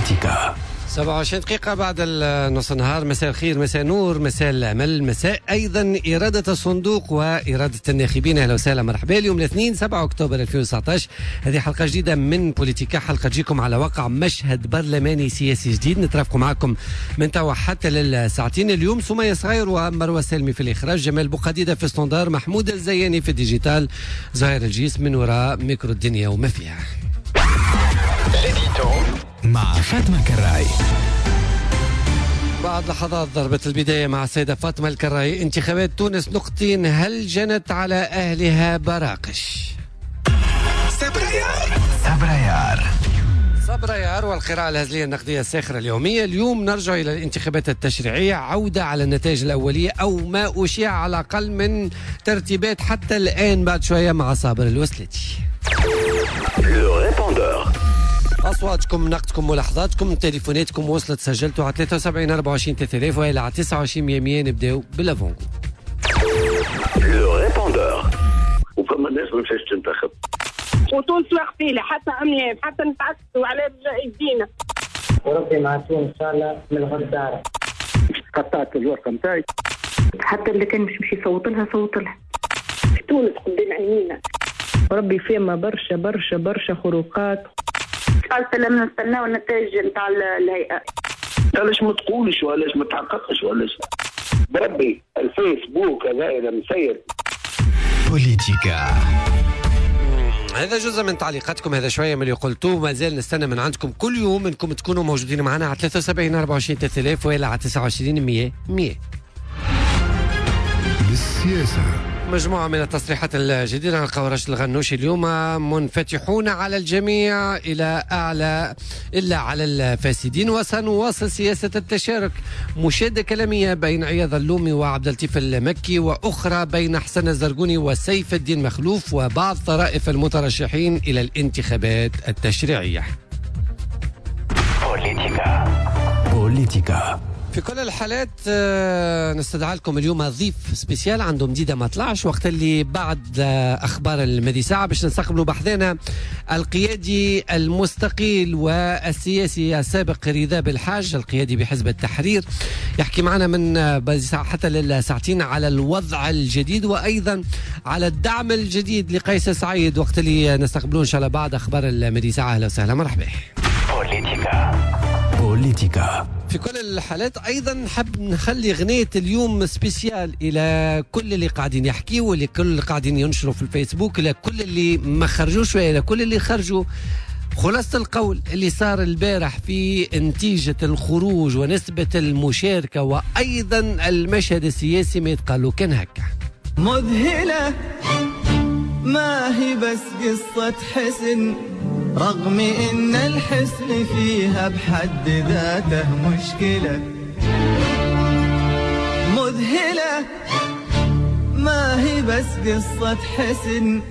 بوليتيكا. 27 دقيقة بعد نص النهار. مساء الخير، مساء نور، مساء الأمل، مساء أيضا إرادة الصندوق وإرادة الناخبين. أهلا وسهلا، مرحبا. اليوم الاثنين 7 أكتوبر 2019، هذه حلقة جديدة من بوليتيكا، حلقة تجيكم على وقع مشهد برلماني سياسي جديد. نترافقوا معكم من توا حتى للساعتين. اليوم سمية صغير ومروة سالمي في الإخراج، جمال بوقديدة في standard، محمود الزياني في ال digital، زهير الجيس من وراء ميكرو الدنيا وما فيها. مع فاطمة كراي. بعد لحظات ضربة البداية مع السيدة فاطمة الكراي. انتخابات تونس نقطتين، هل جنت على أهلها براقش؟ سبرايار سبرايار سبرايار والقراءة الهزلية النقدية الساخرة اليومية. اليوم نرجع إلى الانتخابات التشريعية، عودة على النتائج الأولية أو ما أشيع على الأقل من ترتيبات حتى الآن. بعد شوية مع صابر الوسلتي. أصواتكم، نقدكم، ملاحظاتكم، تليفوناتكم وصلت، سجلتوا على 73 24 3000 وإلى على 29 100. نبداو بال avant-goût. le répondeur. وفما ناس ما مشاتش تنتخب وتونس واقفين حتى عميان حتى نتعسوا على يدينا. وربي مع تونس إن شاء الله من الغدارة. قطعت الورقة نتاعي. حتى اللي كان مش يصوت لها صوت لها. تونس قدام عينينا. وربي فيما برشا برشا برشا خروقات. قالت لما نستناو النتائج نتاع الهيئة. علاش ما تقولش وعلاش ما تحققش وعلاش بربي الفيسبوك هذا إذا مسير. بوليتيكا. هذا جزء من تعليقاتكم، هذا شوية من اللي قلتوه. ما زال نستنى من عندكم كل يوم انكم تكونوا موجودين معنا على 73 24 3000 وإلى على 29 100 100. بالسياسة مجموعة من التصريحات الجديدة. نلقاو راشد الغنوشي اليوم منفتحون على الجميع إلى أعلى إلا على الفاسدين، وسنواصل سياسة التشارك. مشادة كلامية بين عياض اللومي وعبد اللطيف المكي، وأخرى بين حسن الزرقوني وسيف الدين مخلوف وبعض طرائف المترشحين إلى الانتخابات التشريعية. بوليتيكا بوليتيكا. في كل الحالات نستدعى لكم اليوم ضيف spécial عنده مديدة ما طلعش، وقت اللي بعد أخبار المدي ساعة باش نستقبلوا بحذانا القيادي المستقيل والسياسي السابق رضا بالحاج، القيادي بحزب التحرير، يحكي معنا من ساعة حتى للساعتين على الوضع الجديد وأيضا على الدعم الجديد لقيس سعيد، وقت اللي نستقبلوه إن شاء الله بعد أخبار المدي ساعة. أهلا وسهلا، مرحبا. بوليتيكا بوليتيكا. في كل الحالات أيضا نحب نخلي غنية اليوم spécial إلى كل اللي قاعدين يحكيوا، ولكل اللي قاعدين ينشروا في الفيسبوك، إلى كل اللي ما خرجوش وإلى كل اللي خرجوا. خلاصة القول اللي صار البارح في نتيجة الخروج ونسبة المشاركة وأيضا المشهد السياسي ما يتقالوا كان هكا. مذهلة ما هي بس قصة حسن، رغم إن الحسن فيها بحد ذاته مشكلة. مذهلة ما هي بس قصة حسن،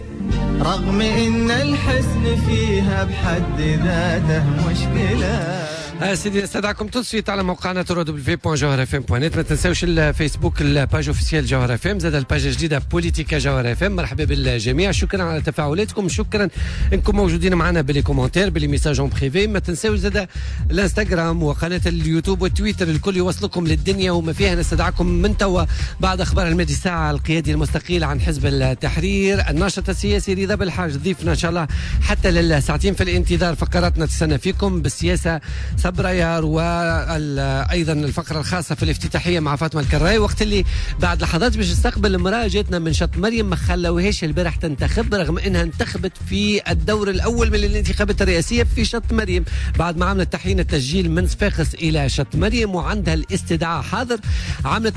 رغم إن الحسن فيها بحد ذاته مشكلة. سيدي نستدعكم tout de suite على موقعنا www.jawharafm.net. ما تنساوش الفيسبوك ال page officielle جوهر اف ام، زاد ال page الجديدة بوليتيكا جوهر اف ام. مرحبا بالجميع، شكرا على تفاعلاتكم، شكرا انكم موجودين معنا ب les commentaires ب les messages en privé. ما تنساوش زاد الانستغرام وقناة اليوتيوب والتويتر، الكل يوصلكم للدنيا وما فيها. نستدعكم من توا بعد اخبار المادي ساعة القيادي المستقيل عن حزب التحرير الناشط السياسي رضا بالحاج ضيفنا ان شاء الله حتى للساعتين. في الانتظار فقراتنا تستنى فيكم بالسياسة سبرايار، وأيضا الفقرة الخاصة في الافتتاحية مع فاطمة الكراي. وقت اللي بعد لحظات باش نستقبل امرأة جاتنا من شط مريم ما خلوهاش البارح تنتخب، رغم انها انتخبت في الدور الأول من الانتخابات الرئاسية في شط مريم، بعد ما عملت تحيين التسجيل من صفاقس إلى شط مريم وعندها الاستدعاء حاضر. عملت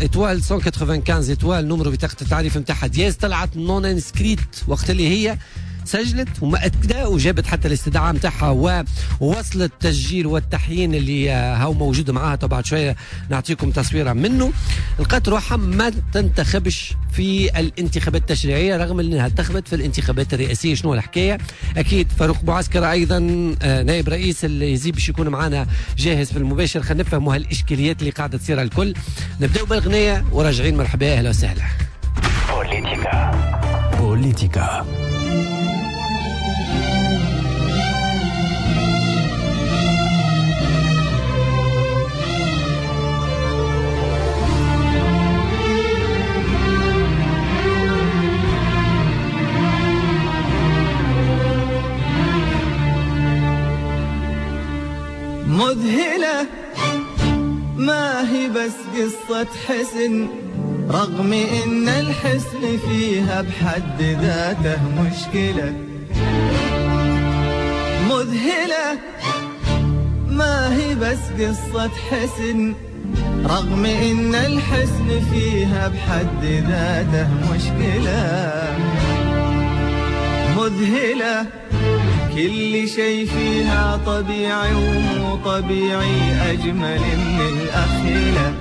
étoile 195 étoile numéro بطاقة التعريف نتاعها dièse، طلعت non inscrite وقت اللي هي سجلت ومأكدة وجابت حتى الاستدعاء متاعها ووصلت التسجيل والتحيين اللي هو موجود معاها. طبعا شوية نعطيكم تصويرة منه. لقات روحها ما تنتخبش في الانتخابات التشريعية رغم انها انتخبت في الانتخابات الرئاسية. شنو الحكاية؟ اكيد فاروق بوعسكر ايضا نائب رئيس اليزيب باش يكون معنا جاهز في المباشر. خلينا نفهموا هالاشكاليات اللي قاعدة تصير الكل. نبداو بالغنية وراجعين. مرحبا، اهلا وسهلا. بوليتيكا بوليتيكا. مذهلة ما هي بس قصة حسن، رغم إن الحسن فيها بحد ذاته مشكلة. مذهلة ما هي بس قصة حسن، رغم إن الحسن فيها بحد ذاته مشكلة. مذهلة كل شيء فيها طبيعي ومو طبيعي، أجمل من الأخيلة.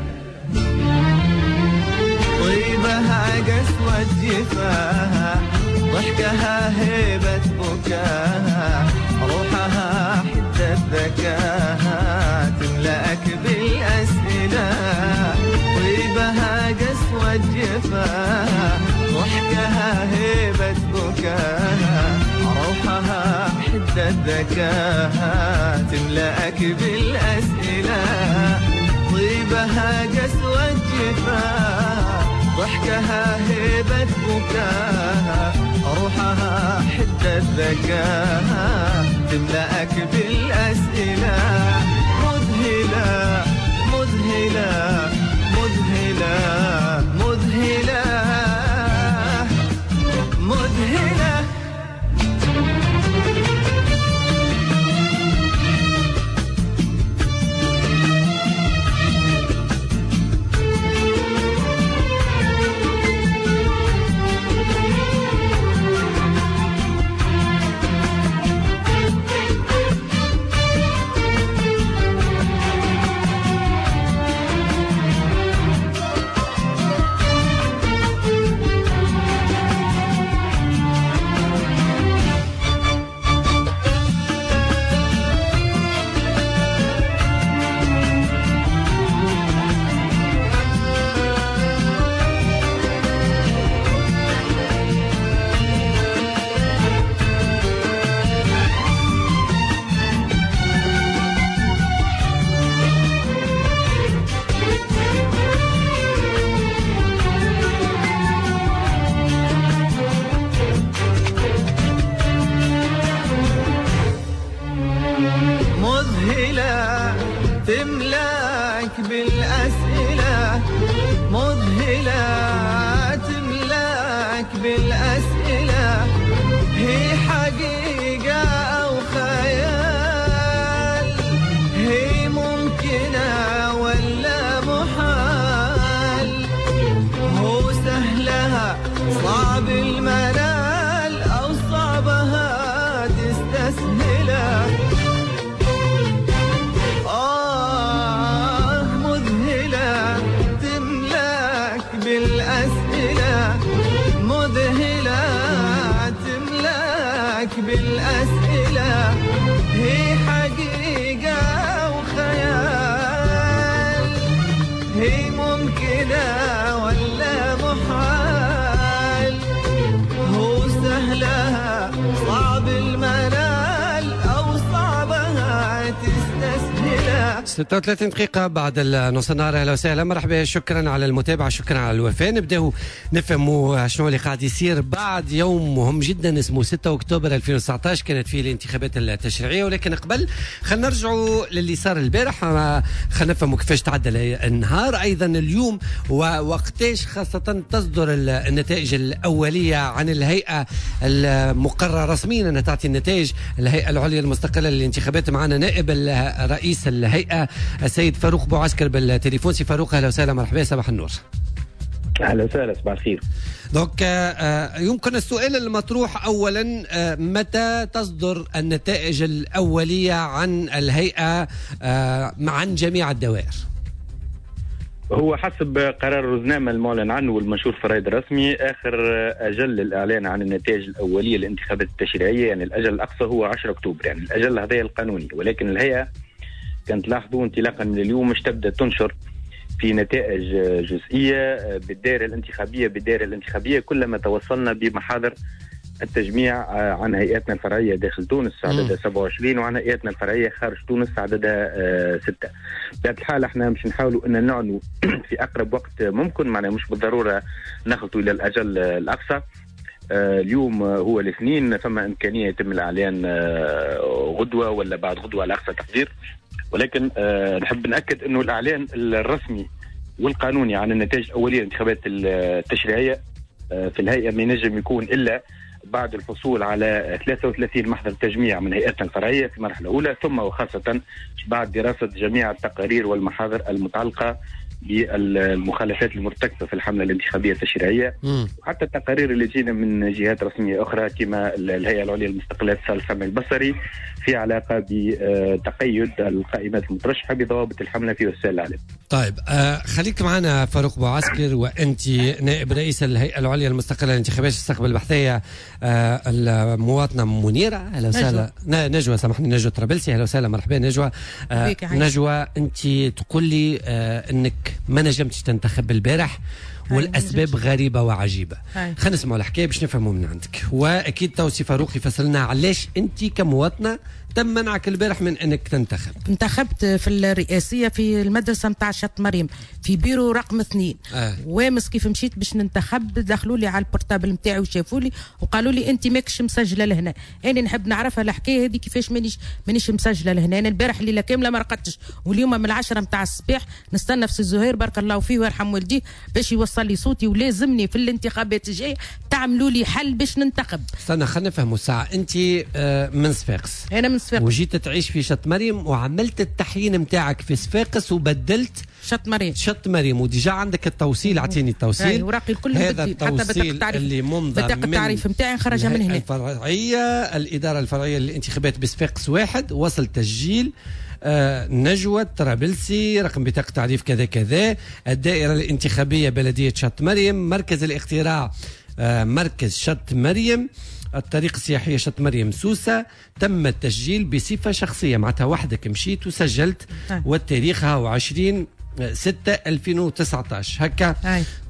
طيبها قسوة جفاها، ضحكها هيبة بكاها، روحها حدة ذكاها، تملأك بالأسئلة. طيبها قسوة جفاها، ضحكها هيبة بكاها، روحها حدة ذكاها، تملأك بالأسئلة. طيبها قسوة جفاها، ضحكها هيبة بكاها، روحها حدة ذكاها، تملأك بالأسئلة. مذهلة مذهلة مذهلة مذهلة مذهلة. مذهلة تملاك بالأسئلة، مذهلة تملاك بالأسئلة، هي حقيقة أو خيال، هي ممكنة ولا محال، هو سهلها صعب المنال أو صعبها تستسهلها. بالأسئلة، مذهلة تملاك بالأسئلة، هي حقيقة وخيال، هي ممكنة ولا محال، هو سهلها صعب المنال أو صعبها تستسهلها. 36 دقيقة بعد النص النهار. أهلا وسهلا، مرحبا، شكرا على المتابعة، شكرا على الوفاء. نبداو نفهموا شنو اللي قاعد يصير بعد يوم مهم جدا اسمه 6 أكتوبر 2019، كانت فيه الانتخابات التشريعية. ولكن قبل خلينا نرجعوا للي صار البارح، خلينا نفهموا كيفاش تعدى النهار أيضا اليوم، ووقتاش خاصة تصدر النتائج الأولية عن الهيئة المقررة رسميا أنها تعطي النتائج، الهيئة العليا المستقلة للانتخابات. معنا نائب رئيس الهيئة السيد فاروق بوعسكر بالتليفون. سي فاروق، اهلا وسهلا، مرحبا، صباح النور. اهلا وسهلا، صباح الخير. donc يمكن السؤال المطروح اولا، متى تصدر النتائج الاولية عن الهيئة عن جميع الدوائر؟ هو حسب قرار الرزنامة المعلن عنه والمنشور في الرائد الرسمي، آخر أجل للإعلان عن النتائج الأولية للانتخابات التشريعية، يعني الأجل الأقصى هو 10 أكتوبر، يعني الأجل هذا القانوني. ولكن الهيئة كانت تلاحظوا انطلاقا من اليوم مش تبدأ تنشر في نتائج جزئية بالدائرة الانتخابية كلما توصلنا بمحاضر التجميع عن هيئاتنا الفرعية داخل تونس عددها 27، وعن هيئاتنا الفرعية خارج تونس عددها 6. بهذه الحالة احنا مش نحاولوا ان نعنوا في أقرب وقت ممكن، معنا مش بالضرورة نخلطوا إلى الأجل الأقصى. اليوم هو الاثنين، فما إمكانية يتم الإعلان غدوة ولا بعد غدوة على أقصى تقدير. ولكن نحب نأكد أنه الإعلان الرسمي والقانوني عن النتائج الأولية للانتخابات التشريعية في الهيئة ما ينجم يكون إلا بعد الحصول على 33 محضر تجميع من هيئتنا الفرعية في مرحلة أولى، ثم وخاصة بعد دراسة جميع التقارير والمحاضر المتعلقة بالمخالفات المرتكبة في الحملة الانتخابية التشريعية، وحتى التقارير اللي جينا من جهات رسمية أخرى كما الهيئة العليا المستقلة للاتصال السمعي البصري في علاقة بتقيد القائمات المترشحة بضوابط الحملة في وسائل الإعلام. طيب خليك معنا فاروق بوعسكر، وأنت نائب رئيس الهيئة العليا المستقلة للانتخابات، تستقبل البحثية المواطنة منيرة. أهلا وسهلا. نجوى، سامحني، نجوى طرابلسي. أهلا وسهلا، مرحبا نجوى. نجوى، أنت تقول لي أنك ما نجمتش تنتخب البارح والأسباب غريبة وعجيبة. خلينا نسمعوا الحكاية باش نفهموا من عندك، وأكيد توصي فاروق يفسر علاش أنت كمواطنة تم منعك البارح من أنك تنتخب. انتخبت في الرئاسية في المدرسة نتاع شط مريم في بيرو رقم 2. وامس كيف مشيت باش ننتخب دخلوا لي على ال portable نتاعي وشافوا لي وقالوا لي أنت ماكش مسجلة لهنا. أنا نحب نعرفها الحكاية هذه كيفاش مانيش مسجلة لهنا. أنا البارح الليلة كاملة ما رقدتش، واليوم من 10 نتاع الصباح نستنى في سي زهير بارك الله فيه ويرحم والديه باش يوصل لي صوتي، ولازمني في الانتخابات الجاية تعملوا لي حل باش ننتخب. استنى خلينا نفهموا الساعة. أنت من صفاقس. أنا من صفاقس وجيت تعيش في شط مريم وعملت التحيين نتاعك في صفاقس وبدلت شط مريم. شط مريم، و déjà عندك التوصيل. اعطيني التوصيل. وراقي الكل، هذا التوصيل اللي ممضى بطاقة التعريف نتاعي نخرجها من هنا. الفرعية، الإدارة الفرعية للانتخابات بصفاقس 1، وصل تسجيل نجوى طرابلسي، رقم بطاقة تعريف كذا كذا، الدائرة الانتخابية بلدية شط مريم، مركز الاقتراع مركز شط مريم، الطريق السياحية شط مريم سوسة. تم التسجيل بصفة شخصية، معناتها وحدك مشيت وسجلت. والتاريخ هو 20/6/2019 هكا.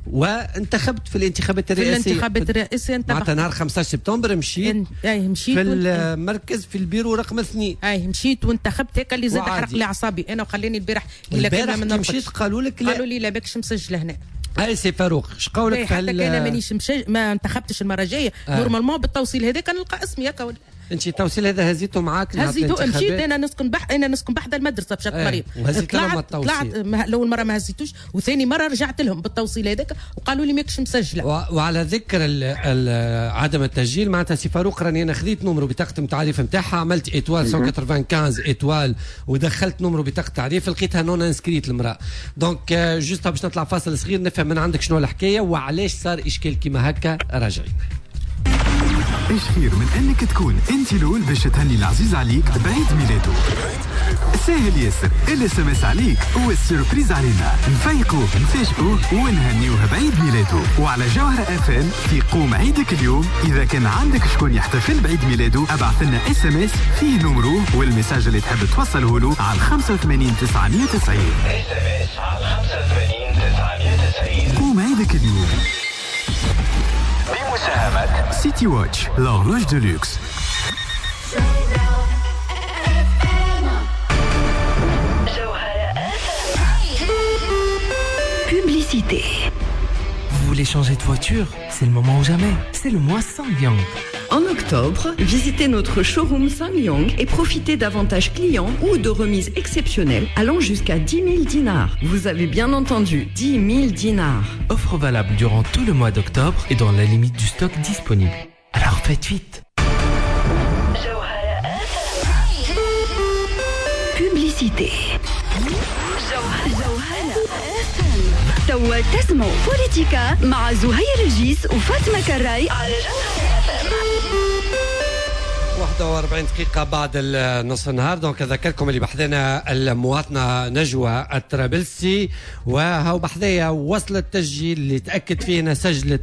وانتخبت في الانتخابات الرئاسية. في الانتخابات الرئاسية معناتها نهار 15 سبتمبر مشيت. مشيت في المركز في البيرو رقم 2. مشيت وانتخبت هكا اللي زاد حرق لي اعصابي انا وخلاني البارح. البارح مشيت قالوا لك لا، قالوا لي لا باكش مسجله هنا. هاي سي فاروق اش قولك في حتى انا مانيش ما انتخبتش المرة الجاية. normalement بالتوصيل هذاك نلقى اسمي هكا. انت التوصيل هذا هزيته معاك؟ هزيته، مشيت انا نسكن انا نسكن بحذا المدرسة بشط مريم. طلعت اول مرة ما هزيتوش، وثاني مرة رجعت لهم بالتوصيل هذاك وقالوا لي ماكش مسجله. وعلى ذكر عدم التسجيل، معناتها سي فاروق راني انا خذيت numéro بطاقة التعريف نتاعها، عملت étoile 195 étoile ودخلت numéro بطاقة التعريف، لقيتها non inscrite المراة. donc juste باش نطلع فاصل صغير نفهم من عندك شنو الحكاية وعلاش صار اشكال كيما هكا. راجعين. ايش خير من انك تكون انت الاول باش تهني العزيز عليك بعيد ميلاده؟ ساهل ياسر، ال SMS عليك وال surprise علينا، نفيقوه نفاجئوه ونهنيوه بعيد ميلاده. وعلى جوهرة اف ام في قوم عيدك اليوم، اذا كان عندك شكون يحتفل بعيد ميلاده ابعث لنا SMS فيه numéro وال message اللي تحب توصله له على 85990. SMS على 85990. قوم عيدك اليوم بمساهمة City Watch, l'horloge de luxe. Publicité. Vous voulez changer de voiture? C'est le moment ou jamais. C'est le mois SsangYong. En octobre, visitez notre showroom SsangYong et profitez d'avantages clients ou de remises exceptionnelles allant jusqu'à 10 000 dinars. Vous avez bien entendu, 10 000 dinars. Offre valable durant tout le mois d'octobre et dans la limite du stock disponible. Alors faites vite. Publicité. توا تسمعوا بوليتيكا مع زهير الجيس وفاطمة كراي على 41 دقيقة بعد النص النهار. donc أذكركم اللي بحذنا المواطنة نجوى الطرابلسي، وهو بحذايا وصل التسجيل اللي تأكد فيه أنها سجلت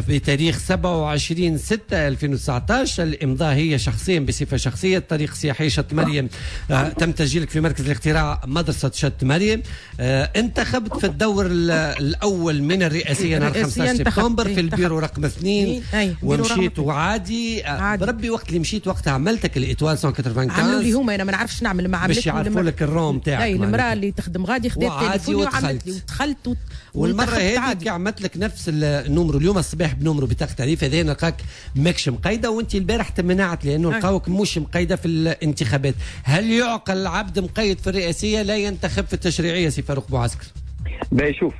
بتاريخ 27/6/2019. الإمضاء هي شخصيا بصفة شخصية. الطريق السياحي شط مريم، تم تسجيلك في مركز الاقتراع مدرسة شط مريم. انتخبت في الدور الأول من الرئاسية نهار 15 سبتمبر في البيرو رقم 2، ومشيت وعادي. بربي وقت اللي مشيت وقتها عملتك ال étoile 195 عملوا لي هما، انا ما نعرفش نعمل، ما عملت باش يعرفوا لك ال rang تاعك. اي المراة اللي تخدم غادي خدات تليفوني وعملت لي ودخلت. والمرة هذيك عملت لك نفس ال numéro اليوم الصباح ب numéro بطاقة تعريف هذا نلقاك ماكش مقيده، وانت البارح تمنعت لانه لقاوك مش مقيده في الانتخابات. هل يعقل العبد مقيد في الرئاسية لا ينتخب في التشريعية سي فاروق بوعسكر؟ باهي شوف،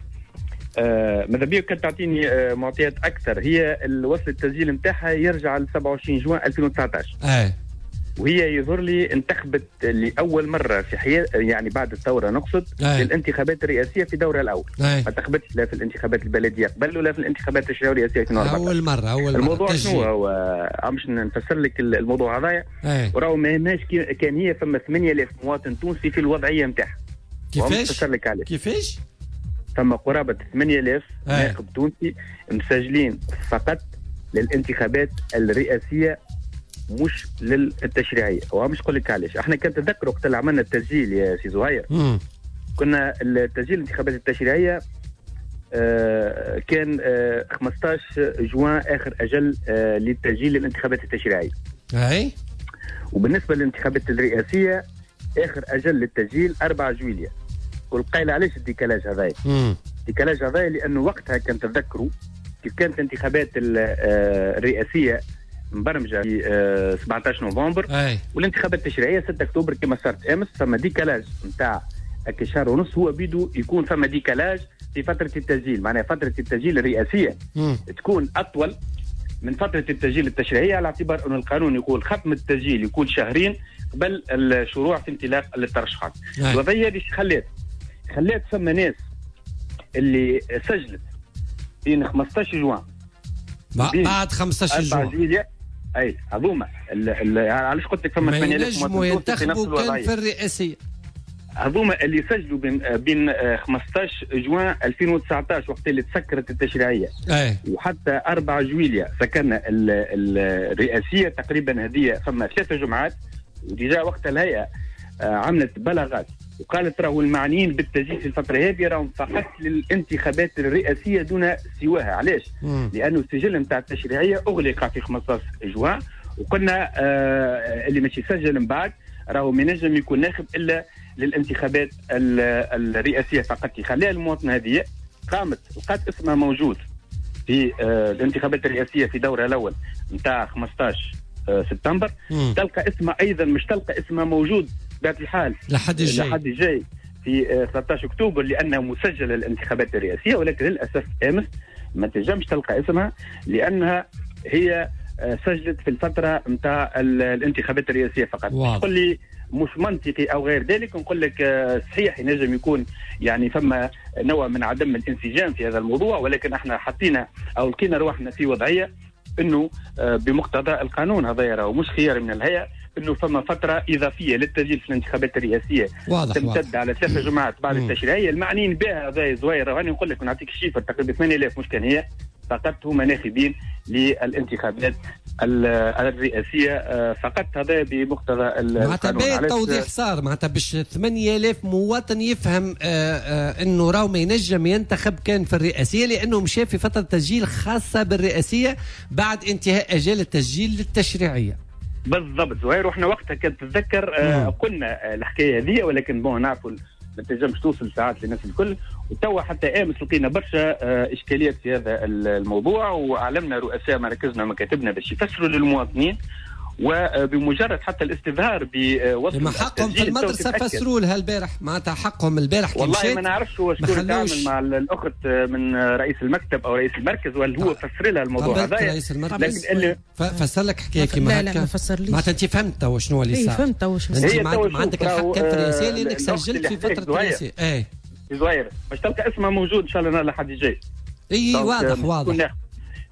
ماذا بيك كانت تعطيني معطيات اكثر. هي الوصل التسجيل نتاعها يرجع ل 27 جوان 2019. وهي يظهر لي انتخبت لاول مرة في حياة، يعني بعد الثورة نقصد، للانتخابات الرئاسية في دورها الاول. ما انتخبتش لا في الانتخابات البلدية قبل ولا في الانتخابات التشريعية الرئاسية 2014. اول مرة. الموضوع شنو هو؟ باش نفسر لك الموضوع هذايا. وراهو ما يهمناش كان هي فما 8000 مواطن تونسي في الوضعية نتاعها. كيفاش؟ كيفاش؟ فما قرابة 8000 ناخب تونسي مسجلين فقط للانتخابات الرئاسية مش للتشريعية. ومش نقول لك علاش. احنا كان تذكر وقت اللي عملنا التسجيل يا سي زهير، كنا التسجيل الانتخابات التشريعية كان 15 جوان آخر أجل للتسجيل للانتخابات التشريعية. أي. وبالنسبة للانتخابات الرئاسية آخر أجل للتسجيل 4 جويلية. والقايل علاش ال décalage هذايا؟ ال décalage هذايا لانه وقتها كان تذكروا كيف كانت الانتخابات الرئاسية مبرمجه في 17 نوفمبر، والانتخابات التشريعية 6 اكتوبر كما صارت امس. فما décalage نتاع شهر ونص، هو بيدو يكون فما décalage في فترة التسجيل، معناها فترة التسجيل الرئاسية تكون اطول من فترة التسجيل التشريعية، على اعتبار أن القانون يقول ختم التسجيل يكون شهرين قبل الشروع في انطلاق الترشحات. الوضعية هذه خلات فما ناس اللي سجلت بين 15 جوان بعد 15 جوان، اي هذوما علاش قلت لك فما 8000 مواطن في نفس الوضعية في الرئاسية. هذوما اللي سجلوا بين 15 جوان 2019 وقت اللي تسكرت التشريعية، وحتى 4 جويليا سكرنا الرئاسية تقريبا، هذه فما 3 جمعات. و déjà وقت الهيئة عملت بلاغات وقالت راهو المعنيين بالتسجيل في الفترة هذه راهم فقط للانتخابات الرئاسية دون سواها. علاش؟ لانه السجل نتاع التشريعية اغلق في 15 جوان، وقلنا اللي مش يسجل من بعد راهو ما ينجم يكون ناخب الا للانتخابات الرئاسية فقط. خليها المواطنة هذه قامت لقات اسمها موجود في الانتخابات الرئاسية في دورها الاول نتاع 15 سبتمبر، تلقى اسمها ايضا مش تلقى اسمها موجود بطبيعة الحال لحد الجاي في 13 اكتوبر لانها مسجله للانتخابات الرئاسية، ولكن للاسف امس ما تنجمش تلقى اسمها لانها هي سجلت في الفترة نتاع الانتخابات الرئاسية فقط. تقول لي مش منطقي او غير ذلك، نقول لك صحيح ينجم يكون يعني فما نوع من عدم الانسجام في هذا الموضوع، ولكن احنا حطينا او لقينا روحنا في وضعية انه بمقتضى القانون هذا راهو مش خيار من الهيئة انه فما فترة اضافية للتسجيل في الانتخابات الرئاسية تمتد على 3 جمعات بعد التشريعية المعنيين بها هذا زوير. راني نقول لك ونعطيك ال chiffre تقريبا 8000 مش كان هي فقط هما ناخبين للانتخابات الرئاسية فقط، هذا بمقتضى القانون. معناتها توضيح صار، معناتها باش 8000 مواطن يفهم انه راهو ما ينجم ينتخب كان في الرئاسية لانه مشى في فترة تسجيل خاصة بالرئاسيه بعد انتهاء اجال التسجيل للتشريعيه. بالضبط زهير، واحنا وقتها كنت تتذكر قلنا الحكاية هذه، ولكن bon نعرفوا ما تنجمش توصل ساعات للناس الكل. وتوا حتى امس لقينا برشا اشكاليات في هذا الموضوع، واعلمنا رؤساء مراكزنا ومكاتبنا باش يفسروا للمواطنين، وبمجرد حتى الاستظهار بوصف حقهم في المدرسة فسروا لها البارح، معناتها حقهم البارح. والله ما نعرفش هو شكون تعامل مع الاخت من رئيس المكتب او رئيس المركز، ولا هو فسر لها الموضوع هذا رئيس المركز. لكن فسر لك حكاية كيما هكا؟ لا ما فسرليش. معناتها انت فهمت توا شنو اللي صار؟ فهمت توا شنو. انت عندك الحق كان في الرئاسية لانك سجلت في فترة الرئاسية. اي زهير باش تلقى اسمها موجود ان شاء الله لحد الجاي. اي واضح واضح.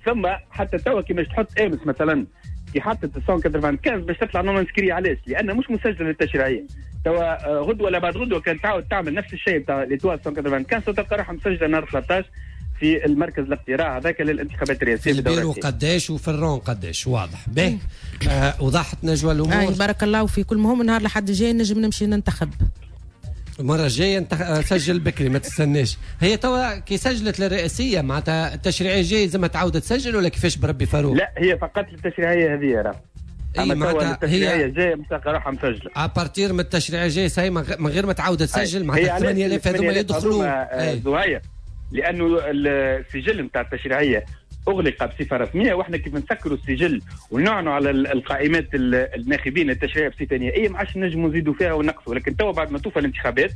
ثم حتى توا كي باش تحط امس مثلا كي حطت 195 باش تطلع non inscrit، علاش؟ لان مش مسجله للتشريعيه. توا غدوه ولا بعد غدوه كان تعاود تعمل نفس الشيء تاع l'étoile 195 تلقى روحها مسجله نهار 13 في المركز الاقتراع هذاك للانتخابات الرئاسية. في البيرو قداش وفي ال rang قداش. واضح به. وضحت نجوى الامور. بارك الله فيك. المهم نهار لحد الجاي نجم نمشي ننتخب. المرة الجاية سجل بكري ما تستناش. هي توا كي سجلت للرئاسيه معناتها التشريعية الجاية لازم تعاود تسجل ولا كيفاش بربي فاروق؟ لا هي فقط للتشريعيه هذه راه. اما توا التشريعية الجاية باش تلقى روحها مسجله à partir من التشريعية الجاية، ça y est من غير ما تعاود تسجل، معناتها 8000 هذوما يدخلوا زهير، لانه السجل نتاع التشريعية اغلق بصفة رسمية، واحنا كيف نسكروا السجل ونعنوا على القائمات الناخبين التشريعية بصفة نهائية ما عادش نجموا نزيدوا فيها ونقصوا. ولكن توا بعد ما توفى الانتخابات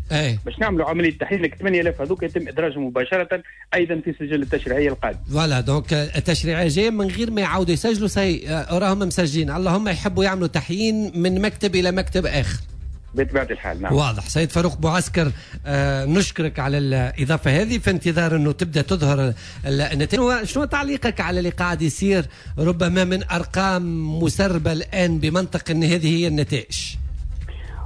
باش نعملوا عملية تحيين لك 8000 هذوك يتم ادراجهم مباشرة ايضا في سجل التشريعية القادم. voilà، donc التشريعية الجاية من غير ما يعاودوا يسجلوا، ça y est راهم مسجلين، اللهم يحبوا يعملوا تحيين من مكتب الى مكتب اخر. بطبيعة الحال نعم. واضح. سيد فاروق بوعسكر، نشكرك على الإضافة هذه، في انتظار أنه تبدأ تظهر النتائج. شنو تعليقك على اللي قاعد يصير ربما من أرقام مسربة الآن بمنطق أن هذه هي النتائج؟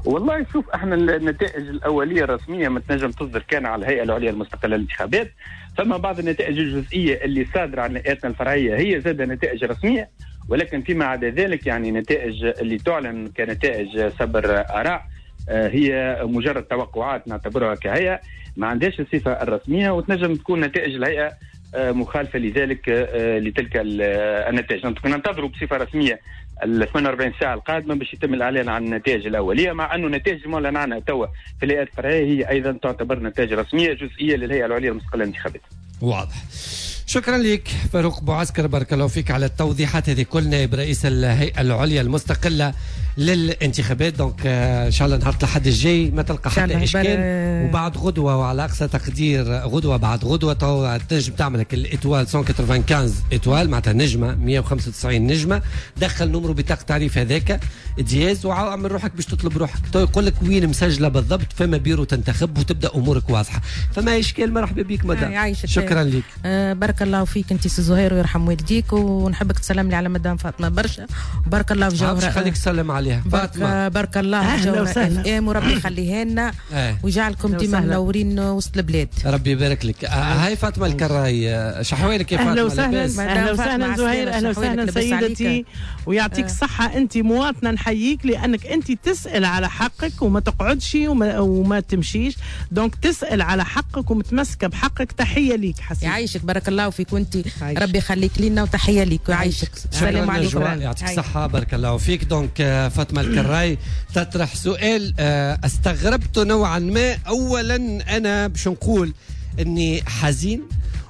والله شوف، احنا النتائج الأولية الرسمية ما تنجم تصدر كان على الهيئة العليا المستقلة للانتخابات. فما بعض النتائج الجزئية اللي صادرة عن هيئاتنا الفرعية هي زادة نتائج رسمية، ولكن فيما عدا ذلك يعني نتائج اللي تعلن كنتائج سبر آراء هي مجرد توقعات نعتبرها كهيئة، ما عندهاش الصفة الرسمية، وتنجم تكون نتائج الهيئة مخالفة لذلك لتلك النتائج. ننتظروا بصفة رسمية ال 48 ساعة القادمة باش يتم الإعلان عن النتائج الأولية، مع أنه نتائج المعلن عنها توا في الهيئات الفرعية هي أيضا تعتبر نتائج رسمية جزئية للهيئة العليا المستقلة للانتخابات. واضح. شكرا لك فاروق بوعسكر، بارك الله فيك على التوضيحات هذه كل، نائب رئيس الهيئة العليا المستقلة للانتخابات. donc ان شاء الله نهار الأحد الجاي ما تلقى حتى اشكال، وبعد غدوه وعلى اقصى تقدير غدوه بعد غدوه تو تنجم تعمل لك ال étoile 195 étoile، معناتها نجمه 195 نجمه، دخل numéro بطاقة تعريف هذاك dièse وعمل روحك باش تطلب روحك، تو يقول لك وين مسجله بالضبط، فما بيرو تنتخب وتبدا امورك واضحة. فما اشكال، مرحبا بك مدام. شكرا لك. بارك الله فيك انت سي زهير ويرحم والديك، ونحبك تسلم لي على مدام فاطمة برشا، بارك الله في جوهره. خليك تسلم عليها فاطمة. بارك الله في جوهره اف ام، وربي يخليها لنا ويجعلكم ديما منورين وسط البلاد. ربي يبارك لك. هاي فاطمة الكراي، شحوالك يا فاطمة؟ اهلا وسهلا. اهلا وسهلا زهير، اهلا وسهلا سيدتي، ويعطيك الصحة. انت مواطنه نحييك لانك انت تسال على حقك وما تقعدش وما تمشيش، donc تسال على حقك ومتمسكه بحقك. تحية ليك حسين. يعيشك، بارك الله فيك، وانت ربي يخليك لنا وتحية ليك ويعيشك. السلام عليكم. يعطيك الصحة، بارك الله فيك. donc فاطمة الكراي تطرح سؤال استغربته نوعا ما. اولا انا باش نقول اني حزين،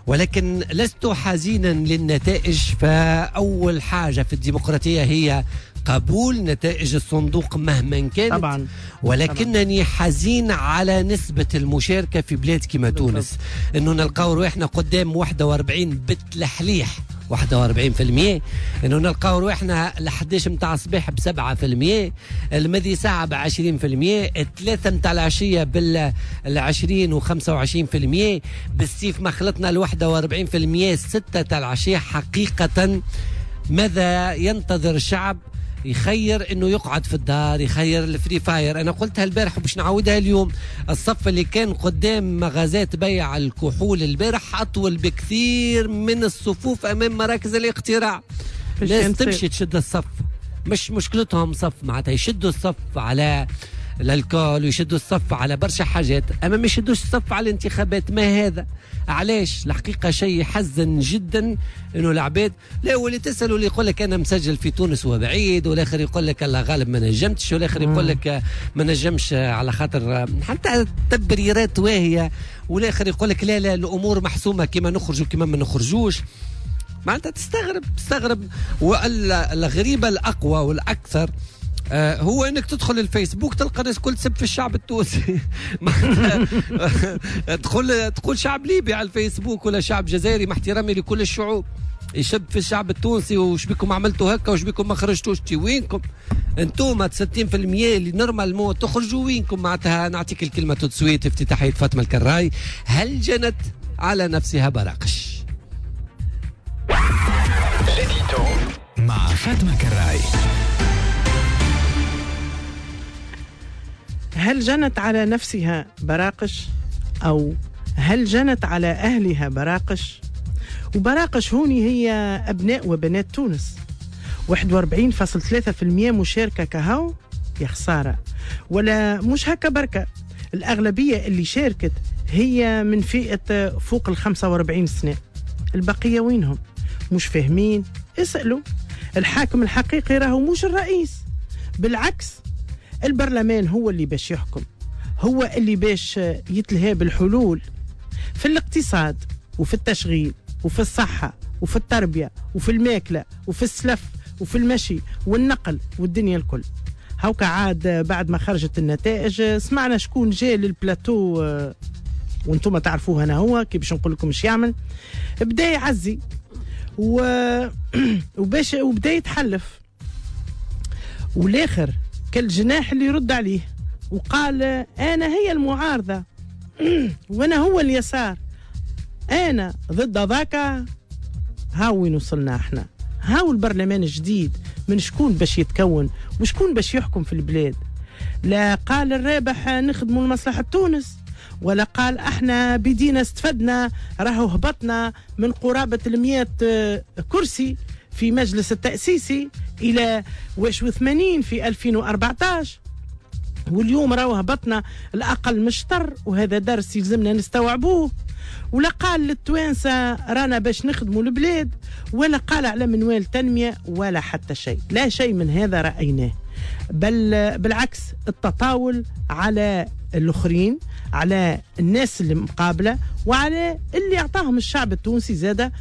ولكن لست حزينا للنتائج. فاول حاجة في الديمقراطية هي قبول نتائج الصندوق مهما كانت طبعا، ولكنني حزين على نسبة المشاركة في بلاد كما تونس، انه نلقاو رواحنا قدام 41 بالتلحليح 41%، انه نلقاو رواحنا ل 11 متاع الصباح ب 7%، الماضي ساعة ب 20%، 3 متاع العشية بال 20 و 25%، بالسيف ما خلطنا ل 41% 6 تاع العشية. حقيقة ماذا ينتظر الشعب؟ يخير انه يقعد في الدار، يخير ال Free Fire. انا قلتها البارح وباش نعاودها اليوم، الصف اللي كان قدام مغازات بيع الكحول البارح اطول بكثير من الصفوف امام مراكز الاقتراع. ناس تمشي تشد الصف، مش مشكلتهم صف، معناتها يشدوا الصف على l'alcool ويشدوا الصف على برشا حاجات، اما ما يشدوش الصف على الانتخابات. ما هذا؟ علاش؟ الحقيقة شيء يحزن جدا انه العباد لا، واللي تسال واللي يقول لك انا مسجل في تونس وبعيد، والاخر يقول لك الله غالب ما نجمتش، والاخر يقول لك ما نجمش على خاطر حتى تبريرات واهية، والاخر يقول لك لا لا الامور محسومة كما نخرجوا كما ما نخرجوش. معناتها تستغرب. والغريبة الاقوى والاكثر هو انك تدخل الفيسبوك تلقى الناس كل تسب في الشعب التونسي. تقول شعب ليبي على الفيسبوك ولا شعب جزائري، مع احترامي لكل الشعوب، يشب في الشعب التونسي وش بكم عملتوا هكا وش بكم ما خرجتوش. تي وينكم انتوما 60% اللي normalement تخرجوا وينكم؟ معناتها نعطيك الكلمة tout de suite. افتتاحيه فاطمة الكراي، هل جنت على نفسها براقش؟ مع فاطمة الكراي. هل جنت على نفسها براقش أو هل جنت على أهلها براقش؟ وبراقش هوني هي أبناء وبنات تونس. 41.3% مشاركة كهو، يا خسارة. ولا مش هكا بركة، الأغلبية اللي شاركت هي من فئة فوق ال 45 سنة، البقية وينهم؟ مش فاهمين؟ اسألوا. الحاكم الحقيقي راهو مش الرئيس، بالعكس البرلمان هو اللي باش يحكم، هو اللي باش يتلهى بالحلول في الاقتصاد وفي التشغيل وفي الصحة وفي التربية وفي الماكلة وفي السلف وفي المشي والنقل والدنيا الكل. هوكا عاد بعد ما خرجت النتائج سمعنا شكون جاء للبلاتو، وانتم تعرفوه انا هو كي باش نقول لكم اش يعمل. بدا يعزي وباش وبدا يتحلف، والاخر كالجناح اللي يرد عليه وقال انا هي المعارضة وانا هو اليسار، انا ضد ذاك. ها وين وصلنا احنا؟ هاو البرلمان الجديد من شكون باش يتكون وشكون باش يحكم في البلاد؟ لا قال الرابح نخدموا لمصلحة تونس، ولا قال احنا بدينا استفدنا، راهو هبطنا من قرابة 100 كرسي في مجلس التأسيسي إلى 81 في 2014، واليوم راهو هبطنا الأقل مشطر، وهذا درس يلزمنا نستوعبوه. ولا قال للتوانسة رانا باش نخدموا البلاد، ولا قال على منوال تنمية، ولا حتى شيء، لا شيء من هذا رأيناه، بل بالعكس التطاول على الآخرين، على الناس اللي مقابلة، وعلى اللي أعطاهم الشعب التونسي زادة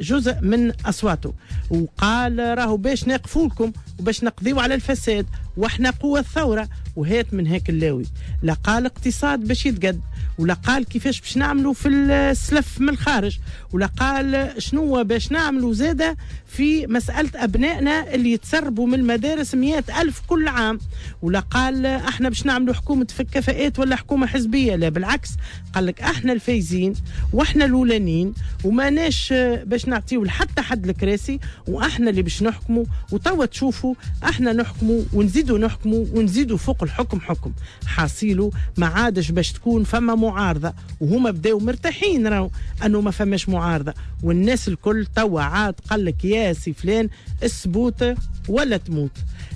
جزء من أصواته، وقال راهو باش نقفوا لكم وباش نقضيوا على الفساد واحنا قوة الثورة، وهات من هيك اللاوي. لا قال اقتصاد باش يتقد، ولا قال كيفاش باش نعملوا في السلف من الخارج، ولا قال شنو باش نعملوا زادة في مسألة أبنائنا اللي يتسربوا من المدارس 100,000 كل عام، ولا قال احنا باش نعملوا حكومة في الكفاءات ولا حكومة حزبية. لا بالعكس، قال لك احنا الفايزين واحنا الأولانيين وما ناش باش نعطيو لحتى حد الكراسي، واحنا اللي باش نحكموا، وتوا تشوفوا احنا نحكموا ونزيدوا نحكموا ونزيدوا فوق الحكم حكم. حاصيله ما عادش باش تكون فما معارضة، وهما بداو مرتاحين راهو انه ما فماش معارضة، والناس الكل توا عاد قال لك يا سي فلان السبوت ولا تموت،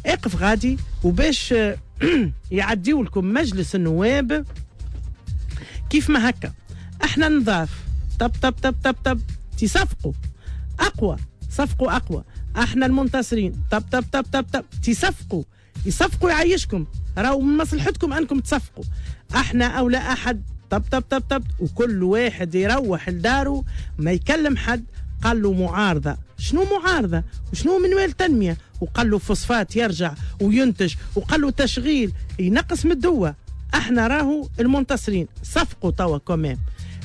اقف غادي. وباش يعديوا لكم مجلس النواب كيف ما هكا، احنا نضاف طب طب طب طب طب تصفقوا اقوى، صفقوا اقوى، احنا المنتصرين، طب طب طب طب طب تصفقوا، يصفقوا يعيشكم، راهو من مصلحتكم انكم تصفقوا، احنا او لا احد، طب طب طب طب، وكل واحد يروح لداره ما يكلم حد. قال له معارضة، شنو معارضة وشنو منوال تنمية؟ وقال له فوسفات يرجع وينتج، وقال له تشغيل ينقص من الدواء، احنا راهو المنتصرين، صفقوا توا كمان.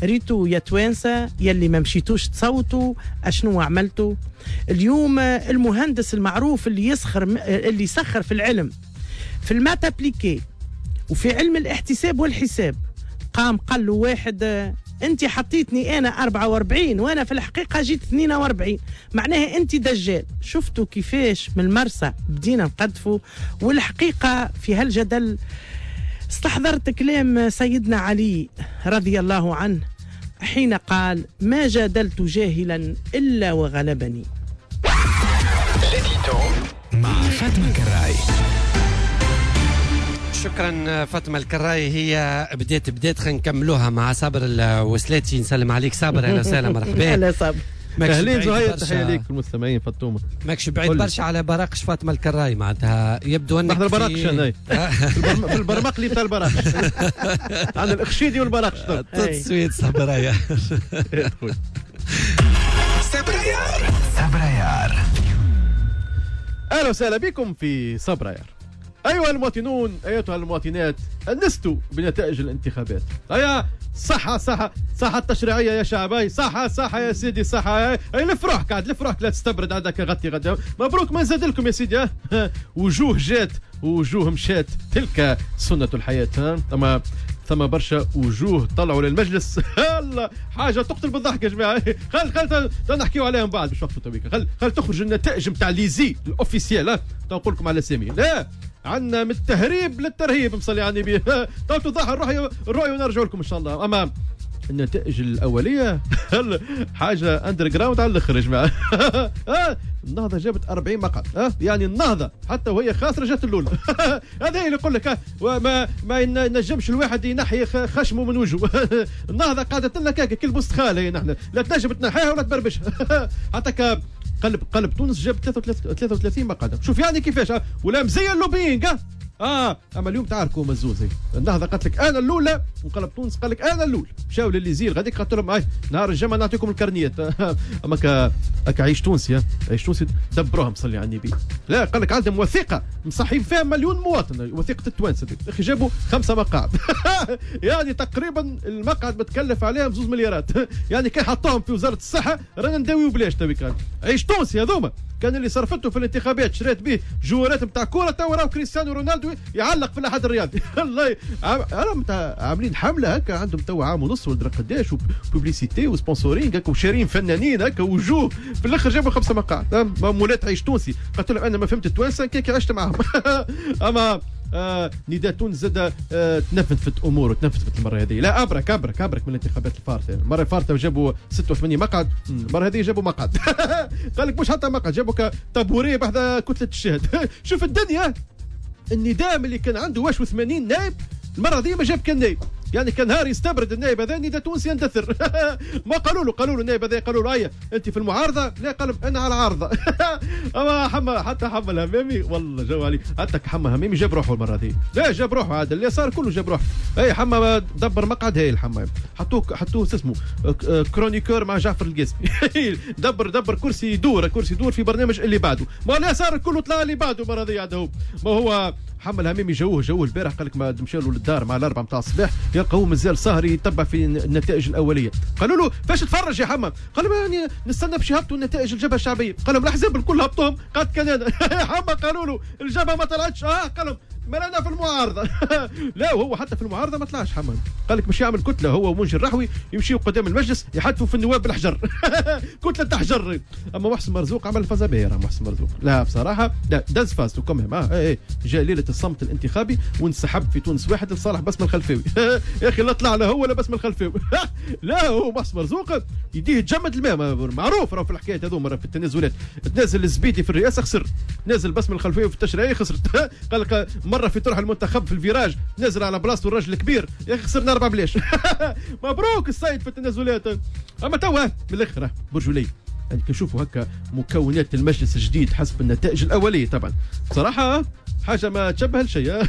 ريتو يا توانسة يلي ما مشيتوش تصوتوا اشنو عملتوا اليوم؟ المهندس المعروف اللي يسخر، اللي يسخر في العلم، في ال maths appliquées وفي علم الاحتساب والحساب، قام قال له واحد انت حطيتني انا 44 وانا في الحقيقة جيت 42، معناها انت دجال. شفتوا كيفاش من المرسى بدينا نقدفوا؟ والحقيقة في هالجدل استحضرت كلام سيدنا علي رضي الله عنه حين قال ما جادلت جاهلا إلا وغلبني. مع فاطمة الكراي. شكرا فاطمة الكراي. هي بدات خلينا نكملوها مع صابر الوسلاتي. نسلم عليك صابر، اهلا وسهلا، مرحبا. اهلا صابر. اهلين زهير، تحية ليك المستمعين. فاطمة ماكش بعيد برشا على براقش فاطمة الكراي، معناتها يبدو انك نحن البراقش انا في البرمقلي بتاع البراقش، عندنا الاخشيدي والبراقش. تسويت صبرايا. صبرايار صبرايار. اهلا وسهلا بكم في صبرايار. ايها المواطنون، ايتها المواطنات، انستوا بنتائج الانتخابات. هيا صحة صحة صحة التشريعية يا شعباي، صحة صحة يا سيدي، صحة. اي لف روحك عاد، لف روحك، لا تستبرد عندك، غطي غدا. مبروك ما نزاد لكم يا سيدي. وجوه جات وجوه مشات، تلك سنة الحياة. ها ثم برشا وجوه طلعوا للمجلس. الله حاجة تقتل بالضحك يا جماعة. خل خل نحكيو عليهم بعد باش وقتوا تويك. خل خل تخرج النتائج نتاع l'ISIE officielles، نقول لكم على سامي. لا عندنا من التهريب للترهيب، مصلي على النبي. تو توضح الرؤية ونرجع لكم ان شاء الله. اما النتائج الاولية حاجة underground على الاخر يا جماعة. النهضة جابت 40 مقعد، يعني النهضة حتى وهي خاسرة جات الاولى. هذا اللي يقول لك ما ينجمش الواحد ينحي خشمه من وجهه. النهضة قاعدة لنا كاكا كل بوستخال، هي نحن لا تنجم تنحيها ولا تبربشها. حتى قلب تونس جاب 33 مقعد. شوف يعني كيفاش ولا مزيان ال lobbying. اما اليوم تعاركوا مزوز، النهضة قالت لك انا الاولى وقلب تونس قال لك انا الاول. مشاو لليزير غاديك قالت لهم نهار الجمعة نعطيكم الكرنيات. اما كعيش تونسي، عيش تونسي دبروها مصلي على النبي. لا قال لك عندهم وثيقة مصحين فيها مليون مواطن، وثيقة التوانسة دي. اخي جابوا 5 مقاعد. يعني تقريبا المقعد متكلف عليهم 2 مليارات. يعني كي حطوهم في وزارة الصحة رانا نداويو بلاش. توي عيش تونسي هذوما كان اللي صرفته في الانتخابات شريت به جوارات نتاع كورة، تو راهو كريستيانو رونالدو يعلق في الاحد الرياضي. والله عاملين حمله هكا، عندهم تو عام ونص ولا قداش، و publicité و sponsoring هكا، وشارين فنانين هكا وجوه. في الاخر جابوا 5 مقاعد. مولات عيش تونسي قلت لهم انا ما فهمت التوانسة كي عشت معاهم. اما نداء تونس زاد تنفذت اموره، تنفذت المرة هذه. لا ابرك ابرك ابرك من الانتخابات الفارطه. المرة الفارطه جابوا 86 مقعد، المرة هذه جابوا مقعد. قال لك مش حتى مقعد، جابوا طابوريه بحذا كتلة الشهد. شوف الدنيا، النداء اللي كان عنده واش 80 نائب، المرة هذه ما جاب كان نائب. يعني كان نهار يستبرد النائب هذا نداء تونسي يندثر. ما قالوا له النائب هذا، قالوا له ايه انت في المعارضة؟ لا قال انا على العارضة. اما حما حتى حما الهمامي والله جو علي، حتى حما الهمامي جاب روحه المرة هذه. لا جاب روحه عاد اللي صار كله جاب روحه. اي حما دبر مقعد هايل. حما حطوه اسمه chroniqueur مع جعفر القاسمي. دبر كرسي يدور، كرسي يدور في برنامج اللي بعده. ما لا صار كله طلع اللي بعده المرة هذه. عاد هو ما هو حما الهمامي جوه البارح، قال لك ما مشى له للدار مع 4 متاع الصباح، يلقاوه مازال سهري يتبع في النتائج الاولية. قالوا له فاش تفرج يا حما؟ قال لهم يعني نستنى باش يهبطوا النتائج الجبهة الشعبية. قال لهم الاحزاب الكل هبطوهم، قد كان انا. حما قالوا له الجبهة ما طلعتش. قال لهم ما انا في المعارضة. لا وهو حتى في المعارضة ما طلعش حما. قال لك باش يعمل كتلة هو ومنجي الرحوي، يمشيوا قدام المجلس يحدفوا في النواب بالحجر. كتلة حجر. اما محسن مرزوق عمل فازة باهره. محسن مرزوق لا بصراحة لا دز فازته كمهم. جاء ليلة الصمت الانتخابي وانسحب في تونس واحد لصالح بسم الخلفاوي. يا اخي لا طلع لا هو لا بسم الخلفاوي. لا هو محسن مرزوق يديه تجمد الماء، معروف راه في الحكايات هذوما في التنازلات. تنازل الزبيدي في الرئاسة خسر، نازل بسم الخلفاوي في التشريعية خسرت. قال لك مرة في طرح المنتخب في ال virage نازل على بلاصته الراجل الكبير، يا اخي خسرنا 4 بلاش. مبروك السيد في التنازلات. اما توا من الاخر برجولي يعني كنشوفوا هكا مكونات المجلس الجديد حسب النتائج الاولية، طبعا بصراحة حاجة ما تشبه لشيء.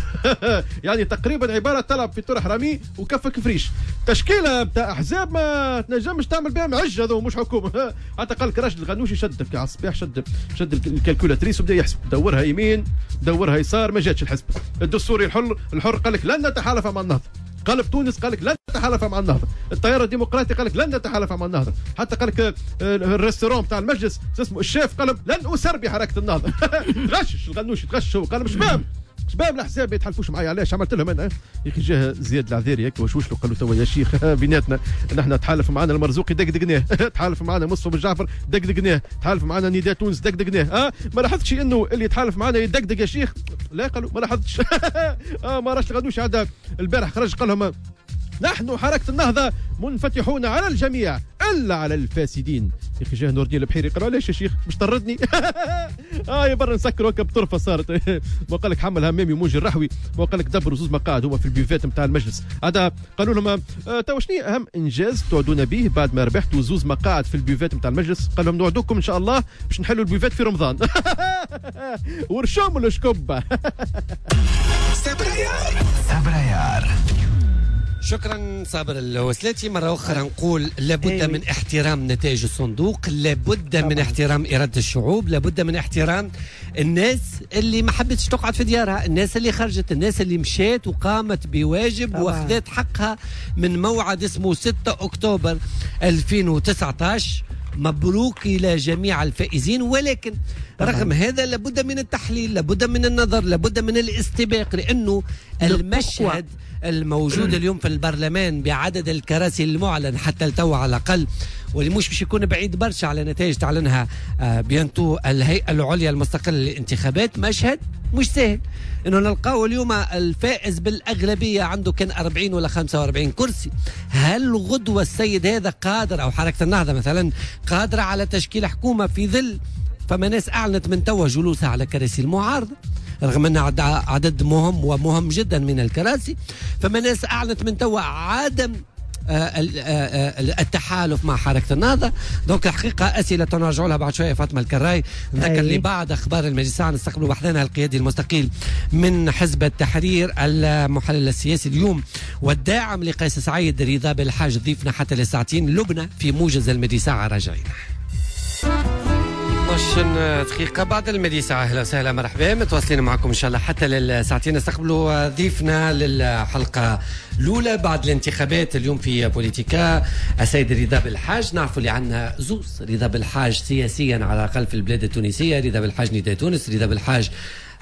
يعني تقريبا عبارة تلعب في طرح رمي وكفك فريش. تشكيله بتاع احزاب ما تنجمش تعمل بها معج، هذا مش حكومة. حتى قال لك راجل الغنوشي شد على الصباح، شد ال calculatrice وبدا يحسب، دورها يمين دورها يسار، ما جاتش الحسب. الدستوري الحر قال لك لن نتحالف مع النهضة. قلب تونس قال لك لن نتحالف مع النهضة. التيار الديمقراطي قال لك لن نتحالف مع النهضة. حتى قال لك ال restaurant تاع المجلس اسمه الشيف قال لن اسر بحركة النهضة. غشش الغنوشي، تغشش هو، قال مش فاهم شباب الاحزاب يتحالفوش معايا، علاش عملت لهم انا؟ يا اخي جاه زياد العذيري هكا وشوش له، قال له توا يا شيخ بيناتنا نحن تحالف معنا المرزوقي دقدقناه، تحالف معنا مصطفى بن جعفر دقدقناه، تحالف معنا نداء تونس دقدقناه. ما لاحظتش انه اللي يتحالف معنا يدقدق يا شيخ؟ لا قالوا ما لاحظتش. ما راش الغنوشي عاد البارح خرج قال لهم نحن حركة النهضة منفتحون على الجميع إلا على الفاسدين. يا أخي جاه نور الدين البحيري قال علاش يا شيخ باش طردني؟ يا برا نسكر هكا بطرفة صارت. ما قال لك حمل همامي وموجي الرحوي، ما قال لك دبروا زوز مقاعد هما في ال buvette نتاع المجلس. هذا قالوا لهم تو شنو أهم إنجاز تعدون به بعد ما ربحتوا زوز مقاعد في ال buvette نتاع المجلس؟ قال لهم نوعدوكم إن شاء الله باش نحلوا ال buvette في رمضان. ورشوم الشكبة. صبريار. شكرا صابر الوسلاتي. مرة أخرى نقول لابد من احترام نتائج الصندوق، لابد من احترام إرادة الشعوب، لابد من احترام الناس اللي ما حبتش تقعد في ديارها، الناس اللي خرجت، الناس اللي مشات وقامت بواجب واخذت حقها من موعد اسمه 6 أكتوبر 2019. مبروك إلى جميع الفائزين، ولكن رغم هذا لابد من التحليل، لابد من النظر، لابد من الاستباق، لأنه المشهد الموجود اليوم في البرلمان بعدد الكراسي المعلن حتى التو على الأقل، واللي مش باش يكون بعيد برشا على نتائج تعلنها bientôt الهيئة العليا المستقلة للانتخابات، مشهد مش سهل انه نلقاو اليوم الفائز بالأغلبية عنده كان 40 ولا 45 كرسي. هل غدوة السيد هذا قادر، أو حركة النهضة مثلا قادرة على تشكيل حكومة في ظل فما ناس أعلنت من توا جلوسها على كراسي المعارضة رغم أن عدد مهم ومهم جدا من الكراسي، فما ناس أعلنت من توا عدم التحالف مع حركة النهضة؟ donc الحقيقة اسئلة نرجعوا لها بعد شوية. فاطمة الكراي، نذكر اللي بعد اخبار المجلس نستقبلوا بحذانا القيادي المستقيل من حزب التحرير، المحلل السياسي اليوم والداعم لقيس سعيد، رضا بالحاج، ضيفنا حتى للساعتين. لبنى في موجز المديسة راجعين. 12 دقيقة بعد المديسة. أهلا وسهلا، مرحبا، متواصلين معكم إن شاء الله حتى للساعتين. نستقبلوا ضيفنا للحلقة الأولى بعد الانتخابات اليوم في بوليتيكا، السيد رضا بالحاج. نعرفوا اللي عندنا زوز رضا بالحاج سياسيا على الأقل في البلاد التونسية، رضا بالحاج نداء تونس، رضا بالحاج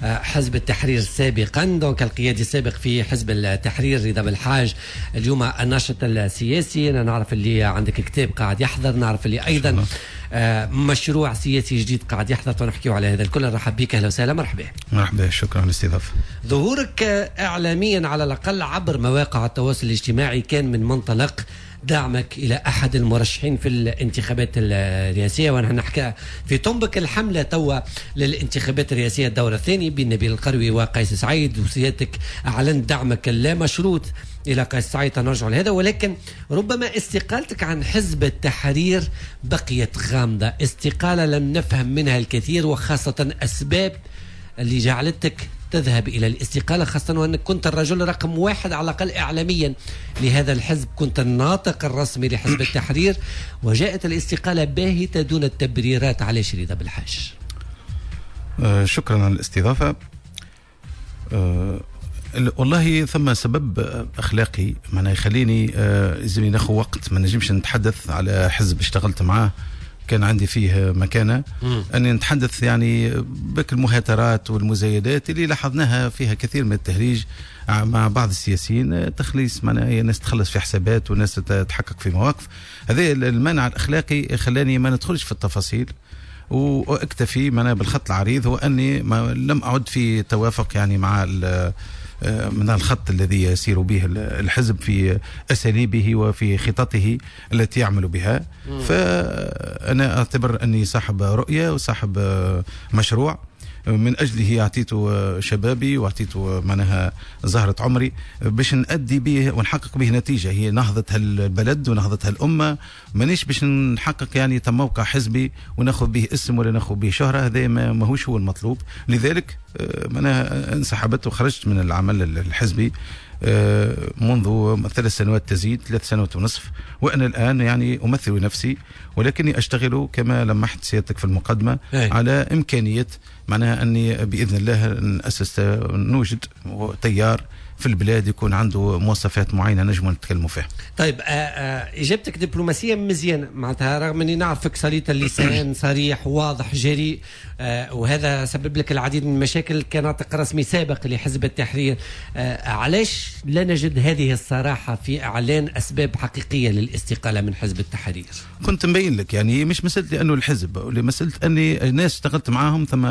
حزب التحرير سابقا، donc القيادي السابق في حزب التحرير رضا بالحاج اليوم الناشط السياسي. أنا نعرف اللي عندك كتاب قاعد يحضر، نعرف اللي أيضا مشروع سياسي جديد قاعد يحضر، ونحكيو على هذا الكل. نرحب بك، أهلا وسهلا، مرحبا. مرحبا، شكرا على الاستضافة. ظهورك إعلاميا على الأقل عبر مواقع التواصل الاجتماعي كان من منطلق دعمك إلى أحد المرشحين في الانتخابات الرئاسية، ونحن نحكي في طنبك الحملة توا للانتخابات الرئاسية الدورة الثانية بين نبيل القروي وقيس سعيد، وسيادتك أعلنت دعمك اللامشروط إلى قيس سعيد، نرجع لهذا. ولكن ربما استقالتك عن حزب التحرير بقيت غامضة، استقالة لم نفهم منها الكثير، وخاصة أسباب اللي جعلتك تذهب إلى الاستقالة، خاصة وأنك كنت الرجل رقم واحد على الأقل إعلاميا لهذا الحزب، كنت الناطق الرسمي لحزب التحرير، وجاءت الاستقالة باهتة دون التبريرات. علاش رضا بالحاج؟ شكرا على الاستضافة. والله ثم سبب أخلاقي معناه يخليني لازمني ناخذ وقت، ما نجمش نتحدث على حزب اشتغلت معاه كان عندي فيه مكانة، أني نتحدث يعني بك المهاترات والمزايدات اللي لاحظناها فيها كثير من التهريج مع بعض السياسيين، تخليص معناها ناس تخلص في حسابات وناس تحقق في مواقف. هذا المنع الأخلاقي خلاني ما ندخلش في التفاصيل واكتفي معناها بالخط العريض، هو أني ما لم أعد في توافق يعني مع من الخط الذي يسير به الحزب في أساليبه وفي خططه التي يعمل بها. فأنا أعتبر أني صاحب رؤية وصاحب مشروع من أجله أعطيته شبابي وأعطيته معناها زهرة عمري باش نأدي به ونحقق به نتيجة هي نهضة البلد ونهضة الأمة. مانيش باش نحقق يعني تموقع حزبي وناخذ به اسم ولا ناخذ به شهرة، هذا ماهوش هو المطلوب. لذلك معناها انسحبت وخرجت من العمل الحزبي منذ 3 سنوات تزيد 3 سنوات ونصف، وأنا الآن يعني أمثل نفسي، ولكني أشتغل كما لمحت سيادتك في المقدمة على إمكانية معناها أني بإذن الله نأسس نوجد تيار في البلاد يكون عنده مواصفات معينة نجم نتكلموا فيها. طيب إجابتك دبلوماسية مزيانة، معناتها رغم أني نعرفك سليط اللسان صريح واضح جريء، وهذا سبب لك العديد من المشاكل كناطق رسمي سابق لحزب التحرير. علاش لا نجد هذه الصراحة في إعلان أسباب حقيقية للاستقالة من حزب التحرير؟ كنت مبين لك يعني مش مسألة لأنه الحزب، مسألة أني الناس اشتغلت معاهم ثم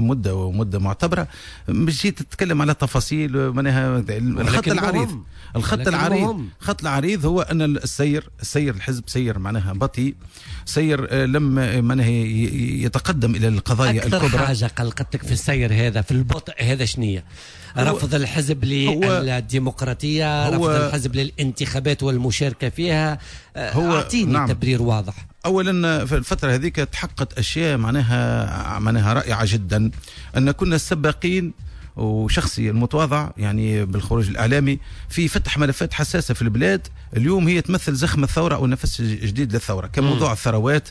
مدة ومدة معتبرة، مش جيت تتكلم على تفاصيل معناها. الخط العريض، الخط العريض، الخط العريض هو أن السير الحزب سير معناها بطيء، سير لم معناها يتقدم إلى القضايا الكبرى. أكثر حاجة قلقتك في السير هذا في البطء هذا شنية؟ رفض الحزب للديمقراطية، رفض الحزب للانتخابات والمشاركة فيها. أعطيني نعم. تبرير واضح. أولا في الفترة هذيك تحققت أشياء معناها رائعة جدا، أن كنا السباقين وشخصي المتواضع يعني بالخروج الإعلامي في فتح ملفات حساسة في البلاد اليوم هي تمثل زخم الثورة أو نفس جديد للثورة، كموضوع الثروات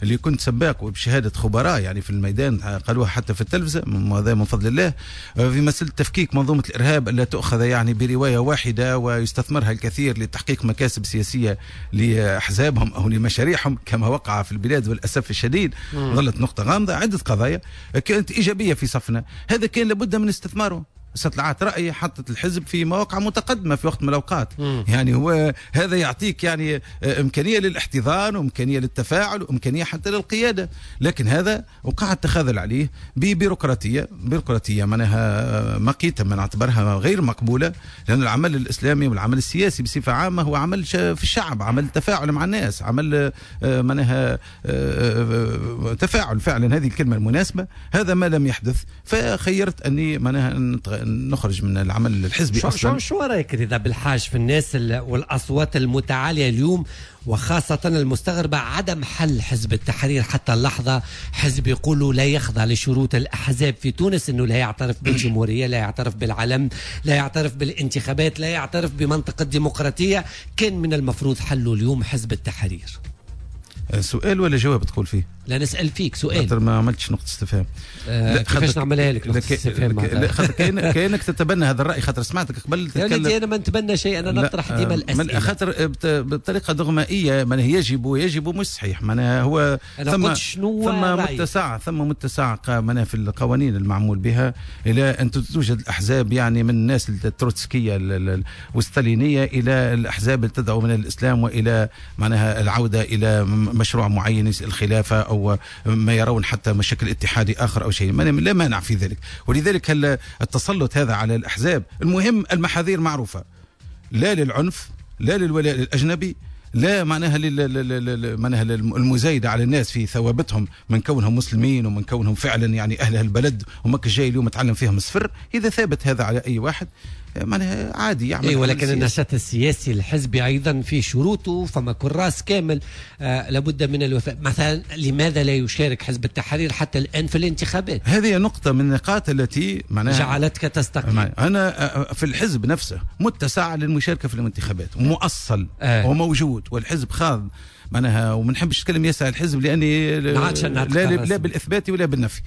اللي كنت سباق وبشهادة خبراء يعني في الميدان قالوها حتى في التلفزة، هذا من فضل الله. في مسألة تفكيك منظومة الإرهاب لا تؤخذ يعني برواية واحدة ويستثمرها الكثير لتحقيق مكاسب سياسية لأحزابهم أو لمشاريعهم كما وقع في البلاد والأسف الشديد. ظلت نقطة غامضة. عدة قضايا كانت إيجابية في صفنا، هذا كان لابد من استثماره. استطلاعات رأي حطت الحزب في مواقع متقدمة في وقت من الأوقات. يعني هو هذا يعطيك يعني إمكانية للاحتضان وإمكانية للتفاعل وإمكانية حتى للقيادة، لكن هذا وقع التخاذل عليه ببيروقراطية، بيروقراطية معناها مقيتة من اعتبرها غير مقبولة، لأن العمل الإسلامي والعمل السياسي بصفة عامة هو عمل في الشعب، عمل تفاعل مع الناس، عمل معناها تفاعل فعلا، هذه الكلمة المناسبة. هذا ما لم يحدث، فخيرت أني معناها نخرج من العمل الحزبي اصلا. شو رايك رضا بالحاج في الناس والاصوات المتعاليه اليوم، وخاصة المستغربة عدم حل حزب التحرير حتى اللحظة؟ حزب يقولوا لا يخضع لشروط الأحزاب في تونس، أنه لا يعترف بالجمهورية، لا يعترف بالعلم، لا يعترف بالانتخابات، لا يعترف بمنطقة الديمقراطية. كان من المفروض حله اليوم حزب التحرير. سؤال ولا جواب تقول فيه؟ لا نسأل فيك سؤال. خاطر ما عملتش نقطة استفهام. لا كيفاش نعملها لك نقطة استفهام؟ لا خاطر كأنك تتبنى هذا الرأي، خاطر سمعتك قبل تتكلم. يا أنا ما نتبنى شيء، أنا نطرح ديما الأسئلة. خاطر بطريقة دغمائية معناها يجب مش صحيح، معناها هو ثم متسع معناها في القوانين المعمول بها إلى أن توجد الأحزاب، يعني من الناس التروتسكية والستالينية إلى الأحزاب اللي تدعو من الإسلام وإلى معناها العودة إلى مشروع معين، الخلافة أو ما يرون حتى مشكل اتحادي آخر أو شيء، لا مانع في ذلك. ولذلك التسلط هذا على الأحزاب، المهم المحاذير معروفة، لا للعنف، لا للولاء للأجنبي، لا معناها معناها المزايدة على الناس في ثوابتهم من كونهم مسلمين ومن كونهم فعلا يعني أهل البلد، وماك جاي اليوم تعلم فيهم الصفر. إذا ثابت هذا على أي واحد معناها عادي يعمل. أي ولكن النشاط السياسي الحزبي أيضا في شروطه، فما كراس كامل لابد من الوفاء. مثلا لماذا لا يشارك حزب التحرير حتى الآن في الانتخابات؟ هذه نقطة من النقاط التي معناها جعلتك تستقيل. أنا في الحزب نفسه متسع للمشاركة في الانتخابات، ومؤصل وموجود، والحزب خاض معناها، وما نحبش نتكلم ياسر على الحزب لاني لا بالاثبات ولا بالنفي.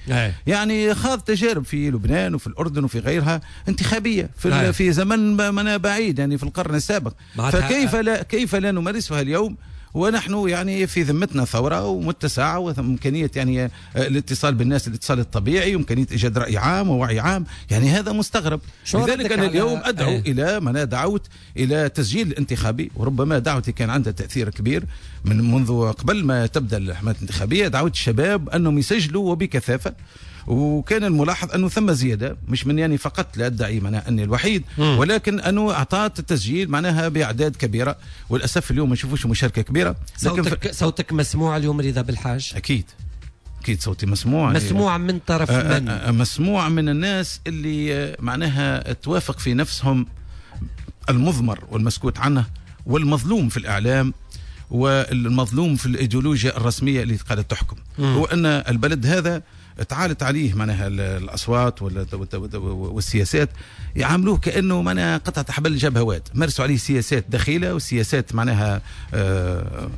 يعني خاض تجارب في لبنان وفي الاردن وفي غيرها انتخابية في زمن معناها بعيد، يعني في القرن السابق. فكيف لا كيف لا نمارسها اليوم ونحن يعني في ذمتنا ثورة ومتسعة وإمكانية يعني الاتصال بالناس، الاتصال الطبيعي، وإمكانية إيجاد رأي عام ووعي عام، يعني هذا مستغرب. لذلك أنا اليوم أدعو إلى ما دعوت إلى تسجيل الانتخابي، وربما دعوتي كان عندها تأثير كبير من منذ قبل ما تبدأ الحملات الانتخابية. دعوت الشباب أنهم يسجلوا وبكثافة، وكان الملاحظ أنه ثم زيادة، مش من يعني فقط لا أدعي معناها أني الوحيد، ولكن أنه أعطت التسجيل معناها بأعداد كبيرة، وللأسف اليوم ما نشوفوش مشاركة كبيرة. لكن صوتك مسموع اليوم رضا بالحاج؟ أكيد أكيد صوتي مسموع. مسموع من طرف من؟ مسموع من الناس اللي معناها توافق في نفسهم المضمر والمسكوت عنه والمظلوم في الإعلام والمظلوم في الإيديولوجيا الرسمية اللي قاعدة تحكم. هو أن البلد هذا تعالت عليه معناها الأصوات والسياسات، يعاملوه كأنه معناها قطعة حبل جبهوات، مارسوا عليه سياسات دخيلة وسياسات معناها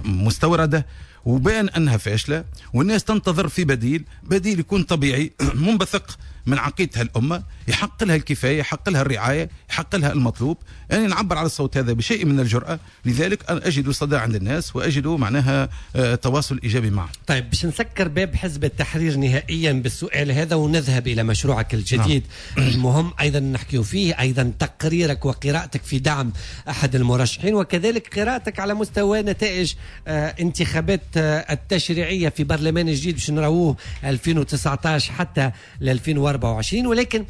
مستوردة، وبان أنها فاشلة، والناس تنتظر في بديل يكون طبيعي منبثق من عقيدتها الأمة، يحق لها الكفاية، يحق لها الرعاية، يحق لها المطلوب. يعني نعبر على الصوت هذا بشيء من الجرأة، لذلك أنا أجد صدى عند الناس وأجد معناها تواصل إيجابي معه. طيب باش نسكر باب حزب التحرير نهائيا بالسؤال هذا ونذهب إلى مشروعك الجديد. نعم. المهم أيضا نحكي فيه أيضا تقريرك وقراءتك في دعم أحد المرشحين، وكذلك قراءتك على مستوى نتائج انتخابات التشريعية في برلمان جديد باش نراوه 2019 حتى ل 2024. ولكن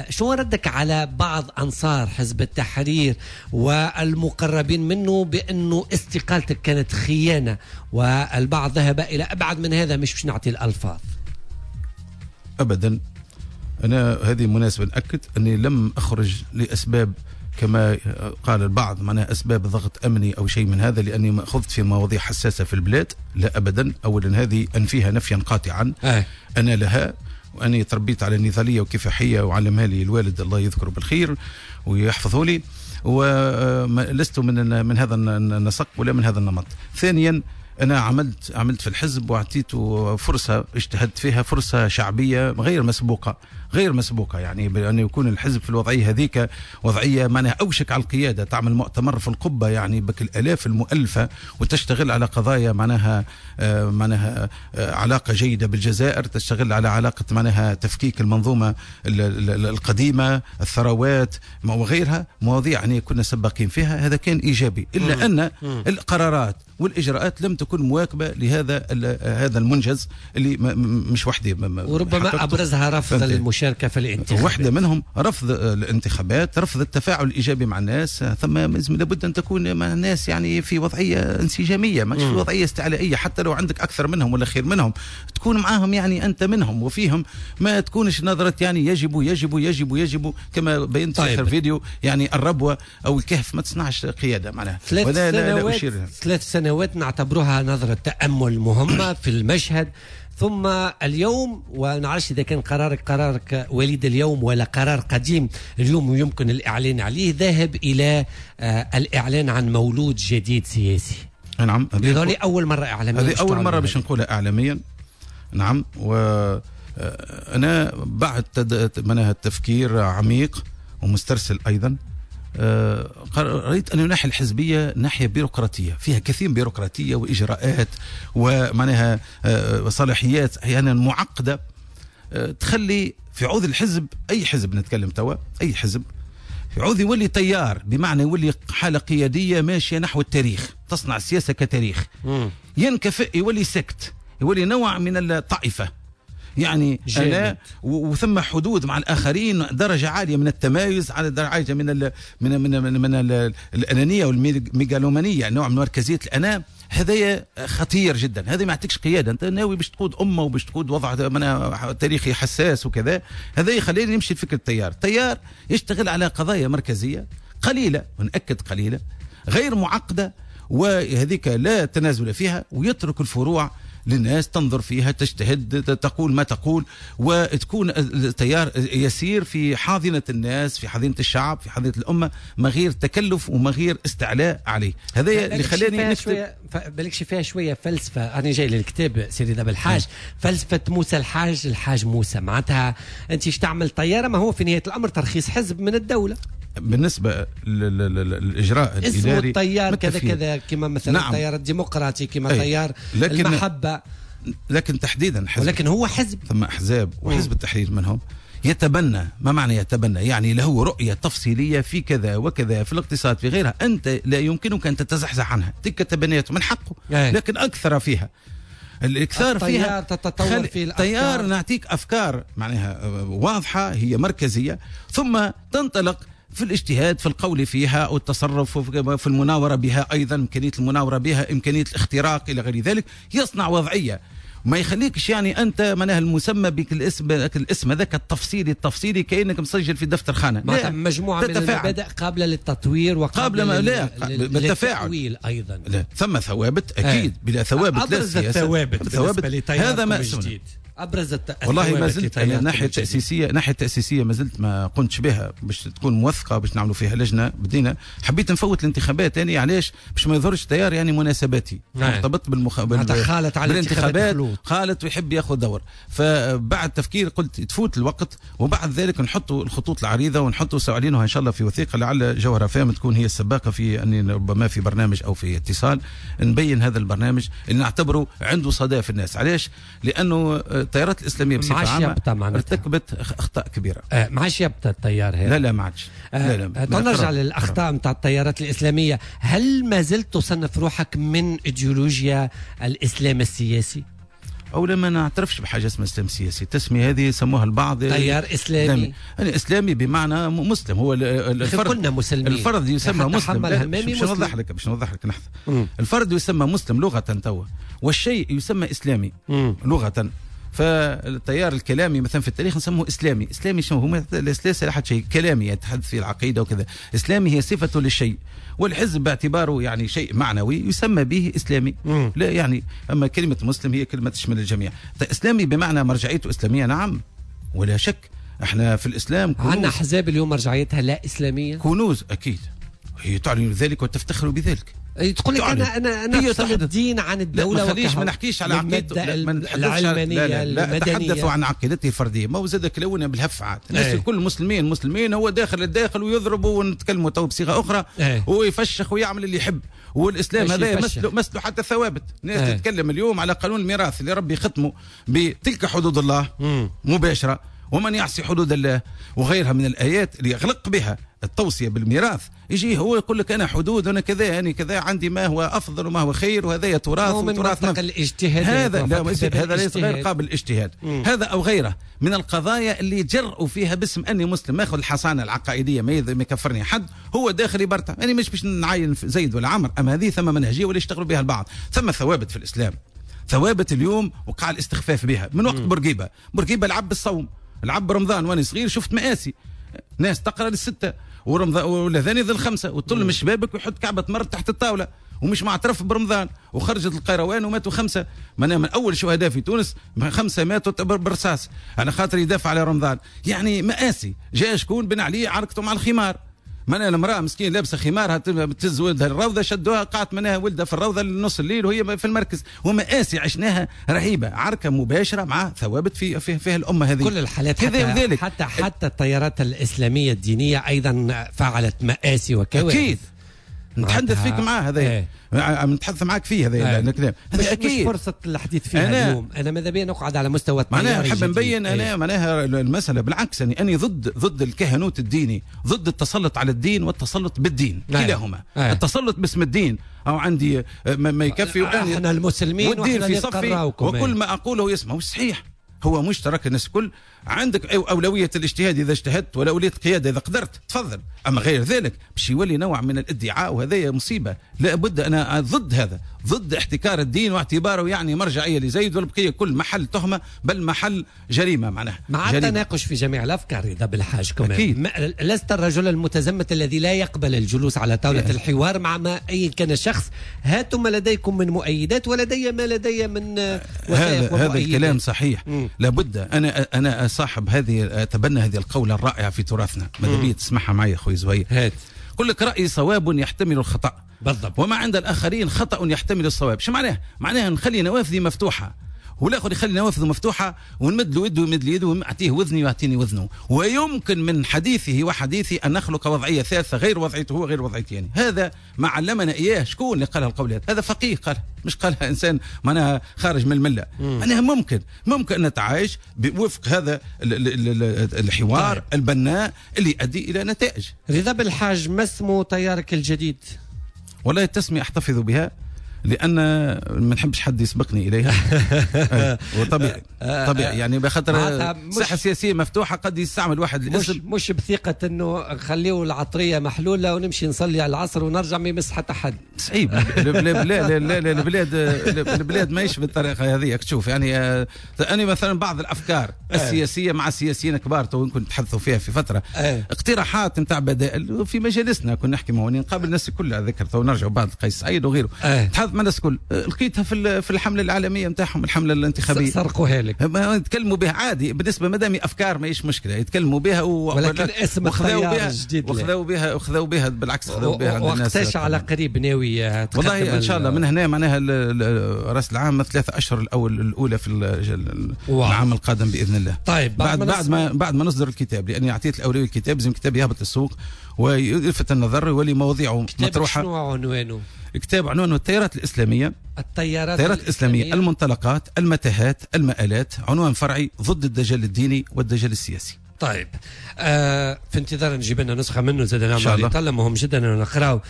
شو ردك على بعض أنصار حزب التحرير والمقربين منه بأنه استقالتك كانت خيانة، والبعض ذهب إلى أبعد من هذا، مش باش نعطي الألفاظ؟ أبدا، أنا هذه مناسبة نأكد أني لم أخرج لأسباب كما قال البعض معناها أسباب ضغط أمني أو شيء من هذا، لأني ما أخذت في مواضيع حساسة في البلاد، لا أبدا. أولا هذه أنفيها نفيا قاطعا. أنا لها، وأني تربيت على النضالية وكفاحية وعلمها لي الوالد الله يذكره بالخير ويحفظه لي، ولست من هذا النسق ولا من هذا النمط. ثانيا أنا عملت في الحزب وأعطيته فرصة، اجتهدت فيها، فرصة شعبية غير مسبوقة، يعني بأن يكون الحزب في الوضعية هذيك، وضعية معناها أوشك على القيادة، تعمل مؤتمر في القبة يعني بك الآلاف المؤلفة، وتشتغل على قضايا معناها علاقة جيدة بالجزائر، تشتغل على علاقة معناها تفكيك المنظومة القديمة، الثروات وغيرها، مواضيع يعني كنا سباقين فيها. هذا كان إيجابي، إلا أن القرارات والإجراءات لم تكون مواكبة لهذا هذا المنجز اللي مش وحدي، وربما أبرزها رفض المشاركة المشاركة في الانتخابات. واحدة منهم رفض الانتخابات، رفض التفاعل الإيجابي مع الناس. ثم لابد أن تكون مع الناس يعني في وضعية انسجامية، مش في وضعية استعلائية، حتى لو عندك أكثر منهم ولا خير منهم تكون معاهم يعني أنت منهم وفيهم، ما تكونش نظرة يعني يجب يجب يجب يجب كما بينت في آخر فيديو. يعني الربوة أو الكهف ما تصنعش قيادة معناها. 3 سنوات نعتبرها نظرة تأمل مهمة في المشهد. ثم اليوم، ونعرفش إذا كان قرارك وليد اليوم ولا قرار قديم اليوم يمكن الإعلان عليه، ذاهب إلى الإعلان عن مولود جديد سياسي. نعم، هذه أول مرة إعلاميا، هذه أول مرة باش نقولها إعلاميا. نعم، وأنا بعد منها التفكير عميق ومسترسل أيضا، رأيت أن الناحية الحزبية ناحية بيروقراطية، فيها كثير بيروقراطية وإجراءات ومعناها صلاحيات أحيانا معقدة، تخلي في عوض الحزب، أي حزب نتكلم توا، أي حزب في عوض يولي تيار، بمعنى يولي حالة قيادية ماشية نحو التاريخ، تصنع السياسة كتاريخ، ينكفئ، يولي سكت، يولي نوع من الطائفة يعني أنا وثم حدود مع الآخرين، درجة عالية من التمايز، على درجة عالية من ال من من من, من ال الأنانية والميغالومانية، نوع من مركزية الأنا. هذا خطير جدا، هذا ما يعطيكش قيادة، أنت ناوي باش تقود أمة وباش تقود وضع تاريخي حساس وكذا. هذا يخليني نمشي لفكرة التيار. التيار يشتغل على قضايا مركزية قليلة، ونأكد قليلة، غير معقدة، وهذيك لا تنازل فيها، ويترك الفروع للناس تنظر فيها، تجتهد، تقول ما تقول، وتكون التيار يسير في حاضنة الناس، في حاضنة الشعب، في حاضنة الأمة، ما غير تكلف وما غير استعلاء عليه. هذا اللي خلاني نكتب. بالكش فيها شوية فلسفة، أنا جاي للكتاب سيدي دابا الحاج، فلسفة موسى الحاج، الحاج موسى، معناتها أنت ايش تعمل طيارة، ما هو في نهاية الأمر ترخيص حزب من الدولة. بالنسبة للإجراء الإداري التيار كذا كذا، كما مثلا نعم. التيار الديمقراطي، كما تيار المحبة، لكن تحديدا حزب، ولكن هو حزب، ثم أحزاب، وحزب التحرير منهم يتبنى. ما معنى يتبنى؟ يعني له رؤية تفصيلية في كذا وكذا، في الاقتصاد، في غيرها، أنت لا يمكنك أن تتزحزح عنها، تلك تبنيته من حقه، لكن أكثر فيها الإكثار فيها تتطور في الأفكار. تيار نعطيك أفكار معناها واضحة، هي مركزية، ثم تنطلق في الاجتهاد، في القول فيها، أو التصرف، في المناورة بها أيضا، إمكانية المناورة بها، إمكانية الاختراق إلى غير ذلك. يصنع وضعية ما يخليكش يعني أنت معناها المسمى بك الاسم هذاك التفصيلي التفصيلي كأنك مسجل في دفتر خانة. مجموعة من المبادئ قابلة للتطوير وقابلة للتأويل أيضا. لا، ثم ثوابت أكيد، بلا ثوابت لا سياسة. ثوابت هذا ما أبرز والله ما زلت الناحية التأسيسية، الناحية التأسيسية ما زلت ما قمتش بها باش تكون موثقة، باش نعملوا فيها لجنة. بدينا حبيت نفوت الانتخابات يعني، علاش؟ باش ما يظهرش تيار يعني مناسباتي مرتبط خالت على بالانتخابات، خالت ويحب ياخذ دور. فبعد تفكير قلت تفوت الوقت، وبعد ذلك نحطوا الخطوط العريضة ونحطوا سؤالينها إن شاء الله في وثيقة، لعل جوهرة فام تكون هي السباقة في أن ربما في برنامج أو في اتصال نبين هذا البرنامج اللي نعتبره عنده صدى في الناس. علاش؟ لأنه التيارات الإسلامية بصفة عامة ارتكبت أخطاء كبيرة. ما عادش يبطى التيار هذا. لا لا ما عادش. لا لا. نرجع للأخطاء نتاع التيارات الإسلامية. هل ما زلت تصنف روحك من إيديولوجيا الإسلام السياسي؟ أولا ما نعترفش بحاجة اسمها إسلام سياسي، التسمية هذه سموها البعض تيار إسلامي. أنا إسلامي بمعنى مسلم، هو الفرد، كلنا مسلمين، الفرد يسمى مسلم. باش نوضح لك، باش نوضح لك لحظة. الفرد يسمى مسلم لغة توا، والشيء يسمى إسلامي لغة. فالتيار الكلامي مثلا في التاريخ نسموه إسلامي. إسلامي شنو هو؟ ليس أحد شيء كلامي يتحدث في العقيدة وكذا. إسلامي هي صفة للشيء، والحزب باعتباره يعني شيء معنوي يسمى به إسلامي. لا يعني، أما كلمة مسلم هي كلمة تشمل الجميع. إسلامي بمعنى مرجعيته إسلامية، نعم ولا شك. احنا في الإسلام كنوز. عندنا أحزاب اليوم مرجعيتها لا إسلامية، كنوز أكيد، هي تعلن ذلك وتفتخر بذلك. تقول لك انا افصل الدين عن الدولة، ما ما نحكيش على عقيدته العلمانية، لا اتحدث عن عقيدته الفردية. ما هو زاد كلونا بالهف عاد الناس الكل مسلمين مسلمين، هو داخل الداخل ويضرب، ونتكلموا تو بصيغة اخرى، ويفشخ ويعمل اللي يحب. والاسلام هذا مسلو حتى الثوابت. الناس تتكلم اليوم على قانون الميراث اللي ربي ختمه بتلك حدود الله مباشرة، ومن يعصي حدود الله وغيرها من الآيات اللي يغلق بها التوصية بالميراث، يجي هو يقول لك انا حدود، انا كذا، انا كذا، عندي ما هو افضل وما هو خير، وهذا تراث وتراث الاجتهاد. هذا لا، هذا ليس غير قابل للاجتهاد. هذا او غيره من القضايا اللي يجرؤوا فيها باسم اني مسلم، ماخذ الحصانة العقائديه، ما يكفرني حد، هو داخل يبرطع. انا مش باش نعين زيد ولا عمر، اما هذه ثم منهجيه ولا يشتغلوا بها البعض. ثم ثوابت في الاسلام، ثوابت اليوم وقع الاستخفاف بها من وقت بورقيبة. بورقيبة لعب بالصوم، لعب برمضان، وانا صغير شفت مآسي، ناس تقرا للسته ورمضان والاذان ذي الخمسة، وتطل من شبابك ويحط كعبه تمر تحت الطاولة ومش معترف برمضان، وخرجت القيروان وماتوا 5 من اول شهداء في تونس، 5 ماتوا بالرصاص على خاطر يدافع على رمضان. يعني مآسي. جاء شكون؟ بن علي عركته مع الخمار، من المرأة مسكين لابسة خمارها تهز ولدها الروضة، شدوها قعدت منها ولدها في الروضة لنص الليل وهي في المركز. ومآسي عشناها رهيبة، عركة مباشرة مع ثوابت في فيها الأمة هذه. كل الحالات، حتى التيارات الإسلامية الدينية أيضا فعلت مآسي وكوارث. أكيد نتحدث فيك معاه هذا، نتحدث معاك فيه هذا الكلام. هذا أكيد مش فرصة الحديث فيها اليوم. أنا ماذا بيا نقعد على مستوى التيار. معناها نحب نبين أنا معناها المسألة بالعكس، يعني أني ضد الكهنوت الديني، ضد التسلط على الدين والتسلط بالدين كلاهما. التسلط باسم الدين، أو عندي ما يكفي، احنا المسلمين والدين في صفي وكل ما أقوله يسمع. مش صحيح، هو مشترك الناس الكل. عندك أولوية الاجتهاد إذا اجتهدت، ولا أولوية القيادة إذا قدرت، تفضل. أما غير ذلك باش يولي نوع من الادعاء، وهذا مصيبة. لا بد، أنا ضد هذا، ضد احتكار الدين واعتباره يعني مرجعية لزيد، والبقية كل محل تهمة بل محل جريمة. معناها مع التناقش في جميع الأفكار. إذا بالحاج كمان لست الرجل المتزمت الذي لا يقبل الجلوس على طاولة الحوار مع ما أي كان شخص. هاتوا ما لديكم من مؤيدات ولدي ما لدي من وثائق. هذا الكلام صحيح. لابد. أنا صاحب هذه، أتبنى هذه القولة الرائعة في تراثنا، ماذا بي تسمعها معي أخوي زهير. هات. قل لك رأي صواب يحتمل الخطأ، بالضبط، وما عند الآخرين خطأ يحتمل الصواب. شو معناه؟ معناها نخلي نوافذي مفتوحة، والاخر يخلي نوافذه مفتوحة، ونمد له يده ويمد لي يده، ونعطيه وذني ويعطيني وذنه، ويمكن من حديثه وحديثي ان نخلق وضعية ثالثة غير وضعيته هو غير وضعيتي. يعني هذا ما علمنا اياه. شكون اللي قالها القولات؟ هذا فقيه قالها، مش قالها انسان معناها خارج من الملة. معناها ممكن نتعايش بوفق هذا الحوار. طيب. البناء اللي يؤدي الى نتائج. رضا بالحاج، ما اسمه تيارك الجديد؟ والله التسمية احتفظ بها لأن ما نحبش حد يسبقني إليها. وطبيعي طبيعي يعني بخاطر الساحة السياسية مفتوحة، قد يستعمل واحد الاسم. مش بثقة إنه نخليه العطرية محلولة ونمشي نصلي على العصر ونرجع ما يمس حتى حد. صعيب. لا لا البلاد ماهيش بالطريقة هذه. تشوف يعني أنا مثلا بعض الأفكار السياسية مع السياسيين كبار تو نكون نتحدثوا فيها في فترة، اقتراحات نتاع بدائل في مجالسنا كنا نحكي معهم، نقابل الناس كلها ذكر تو نرجعوا بعد قيس سعيد وغيره. تحدث مع الناس الكل، لقيتها في الحملة العالمية نتاعهم، الحملة الانتخابية سرقوها لك، يتكلموا بها عادي. بالنسبة مادام افكار ماهيش مشكلة يتكلموا بها، ولكن اسم التيار الجديد وخذوا بها بالعكس، خذوا بها عند الناس. وقتاش على قريب ناوي والله ان شاء الله من هنا معناها راس العام 3 اشهر الاولى في العام القادم باذن الله. طيب بعد ما نصدر الكتاب، لاني اعطيت الاولوية الكتاب، لازم الكتاب يهبط للسوق ويلفت النظر ويولي مواضيعه مطروحة. شنو عنوانه؟ كتاب عنوانه التيارات الإسلامية، التيارات الإسلامية، المنطلقات، المتاهات، المآلات، عنوان فرعي ضد الدجال الديني والدجال السياسي. طيب في انتظار نجيب لنا نسخة منه زاد نعمل طلع. مهم جدا أن نقرأ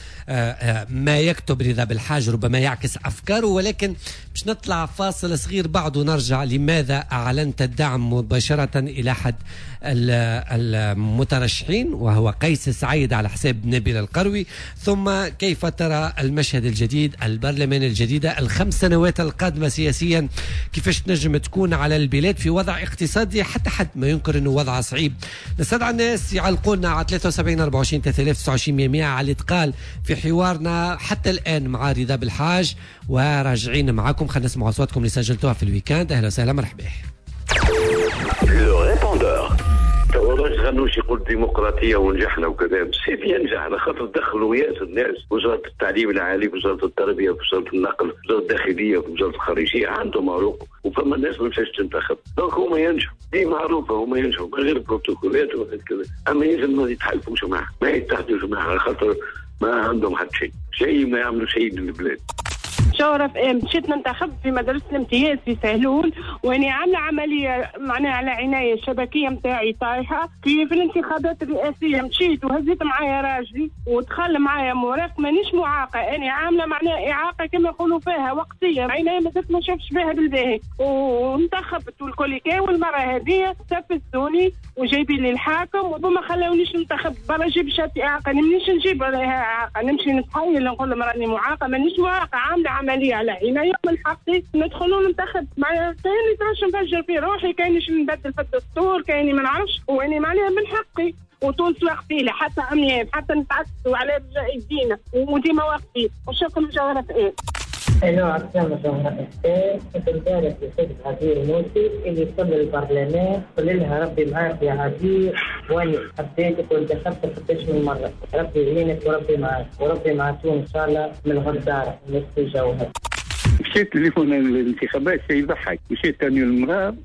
ما يكتب رضا بالحاج، ربما يعكس أفكاره. ولكن باش نطلع فاصل صغير بعد ونرجع. لماذا أعلنت الدعم مباشرة إلى أحد المترشحين وهو قيس سعيد على حساب نبيل القروي؟ ثم كيف ترى المشهد الجديد، البرلمان الجديدة، ال5 سنوات القادمة سياسيا كيفاش تنجم تكون على البلاد في وضع اقتصادي حتى حد ما ينكر أنه وضع صعيب؟ نستدعى الناس يعلقونا على 73 24 3029 100 على اللي تقال في حوارنا حتى الآن مع رضا بالحاج، وراجعين معاكم. خلينا نسمع أصواتكم اللي سجلتوها في ال week-end. أهلا وسهلا، مرحبا. le répondeur. غنوش يقول ديمقراطية ونجحنا وكذا، c'est bien نجحنا خاطر دخلوا ياسر الناس، وزارة التعليم العالي، وزارة التربية، وزارة النقل، وزارة الداخلية، وزارة الخارجية، عندهم عروق، وفما ناس ما مشاش تنتخب، donc هما ينجحوا، دي معروفة، هما ينجحوا من غير بروتوكولات وغير كذا، أما يلزم ما يتحالفوش معاه، ما يتحدوش معاه، خاطر ما عندهم حتى شيء، شيء ما يعملوا شيء للبلاد. جوهرة FM، مشيت ننتخب في مدرسة الامتياز في سهلول، واني عاملة عملية معناها على عناية الشبكية نتاعي طايحة في الانتخابات الرئاسية. مشيت وهزيت معايا راجلي ودخل معايا مرافق، مانيش معاقة، أنا عاملة معناها إعاقة كما يقولوا فيها وقتية، عيناي مازلت ما شافش بها بالباهي، وانتخبت والكل كي. والمرة هذه استفزوني وجايبين لي الحاكم وما خلاونيش ننتخب. برا جيب شهادة إعاقة، مانيش نجيب إعاقة، نمشي نتحايل نقول لهم راني معاقة، مانيش معاقة، عاملة عملية على عيني، من حقي ندخل وننتخب. معناها كايني تراش نفجر في روحي، كاينيش نبدل في الدستور، كايني ما نعرفش، واني معناها من حقي. وتونس واقفين حتى عميان، حتى نتعكسوا على يدينا وديما واقفين. وشكرا جوهرة FM. الو عسلامة جوهرة FM، كنت نبارك لسيد عبير موسي اللي وصل للبرلمان، قل لها ربي معاك يا عبير، واني حبيتك وانتخبتك قداش من مرة، ربي يعينك وربي معاك وربي مع تونس ان شاء الله من الغدارة نفس الجوهر. مشيت ليفون الانتخابات شيء يضحك، مشيت ثاني المرأة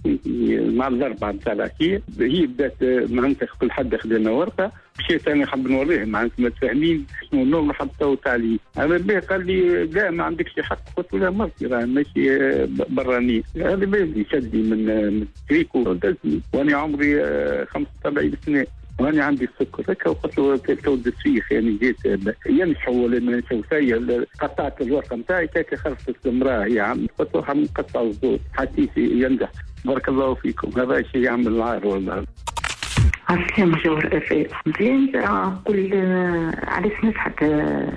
مع الأربعة نتاع العشية، هي بدات معناتها كل حد خذ لنا ورقة، مشيت أنا حاب نوريه معناتها متفاهمين شنو النور حاب تو عليه، هذا به قال لي لا ما عندكش حق، قلت له مرتي راه ماشي برانية، هذا به شدني من التريكو ودزني، وأنا عمري 75 سنة. وانا عندي السكر هكا، وقلت له تو السيخ يعني جيت ينحوا ولا ما ينحوا فيا، قطعت الورقة نتاعي كاكا خرجت المراة هي عم، قلت له نقطع الزوز حتى ينجح. بارك الله فيكم، هذا شيء يعمل العار والله. عسلامة جوهر FM، مزيان نقول علاش نجحت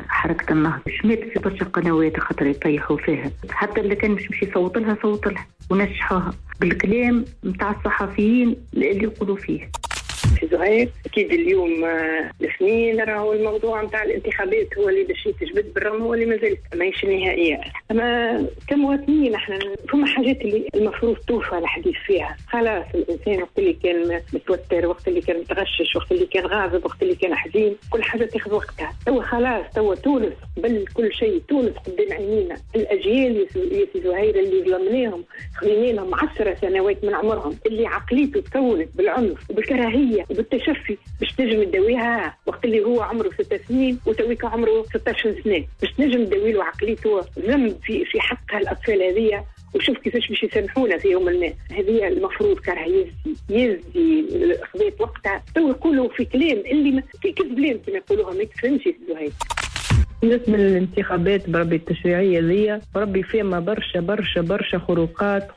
حركة النهضة، شمات في برشا قنوات خاطر يطيحوا فيها، حتى اللي كان مش يصوت لها صوت لها ونجحوها بالكلام نتاع الصحفيين اللي يقولوا فيه. في زهير اكيد اليوم الاثنين راهو الموضوع نتاع الانتخابات هو اللي باش يتجبد، بالرغم هو اللي مازال ماهيش نهائية. اما كمواطنين احنا فما حاجات اللي المفروض توفى الحديث فيها. خلاص الانسان وقت اللي كان متوتر، وقت اللي كان متغشش، وقت اللي كان غاضب، وقت اللي كان حزين، كل حاجة تاخذ وقتها. توا خلاص، توا تونس قبل كل شيء، تونس قدام عينينا. الاجيال يا سي زهير اللي ظلمناهم، خلينا لهم 10 سنوات من عمرهم، اللي عقليته تكونت بالعنف وبالكراهيه وبالتشفي، باش تنجم تداويها وقت اللي هو عمره 6 سنين وتويك عمره 16 سنة، باش تنجم تداوي له عقليته. ذنب في حق هالاطفال هذيا، وشوف كيفاش باش يسامحونا في يوم ما. هذه المفروض كره يزي خذيت وقتها. تو يقولوا في كلام اللي كذبلين كما يقولوها، ما تفهمش زهير. بالنسبة للانتخابات بربي التشريعية ذي، بربي فيما برشا برشا برشا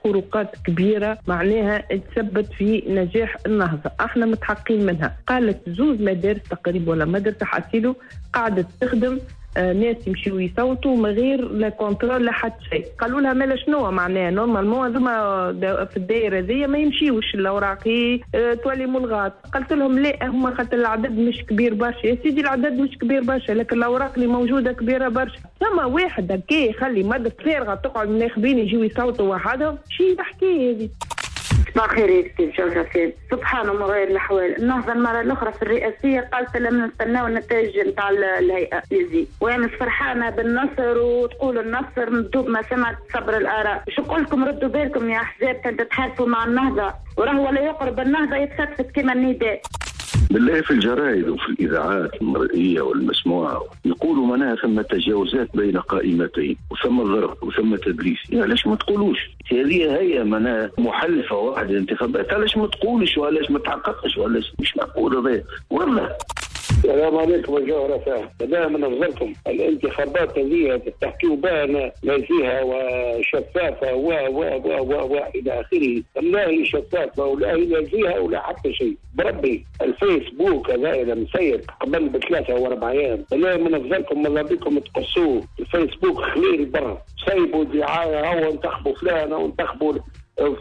خروقات كبيرة، معناها تثبت في نجاح النهضة، احنا متحقين منها. قالت زوز مدارس تقريبا ولا مدرسة حاسيلو قاعدة تخدم ناس يمشيو يصوتوا من غير لا contrôle لا حتى شيء. قالوا لها مالا شنو معناها normalement هذوما في الدائرة ذي ما يمشيوش الاوراق تولي ملغات. قلت لهم لا، هما خاطر العدد مش كبير برشا. يا سيدي العدد مش كبير برشا، لكن الاوراق اللي موجودة كبيرة برشا. ثم واحد هكا يخلي مدرسه فارغة تقعد الناخبين يجيو يصوتوا وحدهم، شي الحكاية هذه. صباح الخير يا سيدي جوهرة. سبحان الله غير الاحوال. النهضة المرة الاخرى في الرئاسية قالت لما نستناو النتائج نتاع الهيئة ليزي، وانا فرحانة بالنصر وتقول النصر مدوب ما سمعت صبر الاراء. شو نقول لكم، ردوا بالكم يا احزاب تتحالفوا مع النهضة، وراهو ولا يقرب النهضة يتفتفت كما النداء. بالله في الجرائد وفي الإذاعات المرئية والمسموعة يقولوا معناها ثم تجاوزات بين قائمتين وثم ضرب وثم تدليس، يعني علاش ما تقولوش؟ هذه هي معناها محلفة واحد الانتخابات، علاش ما تقولش وعلاش ما تحققش وعلاش مش معقول هذا والله. السلام عليكم يا جوهرة FM. لا من أفضلكم الانتخابات هذه تحكيوا بها نزيهة وشفافة و و و و و إلى آخره، لا هي شفافة ولا هي نزيهة ولا حتى شيء. بربي الفيسبوك هذا إذا مسير قبل ب3 و4 أيام، لا من أفضلكم ماذا بكم تقصوه. الفيسبوك خليل برا، سيبوا دعاية أو انتخبوا فلان أو انتخبوا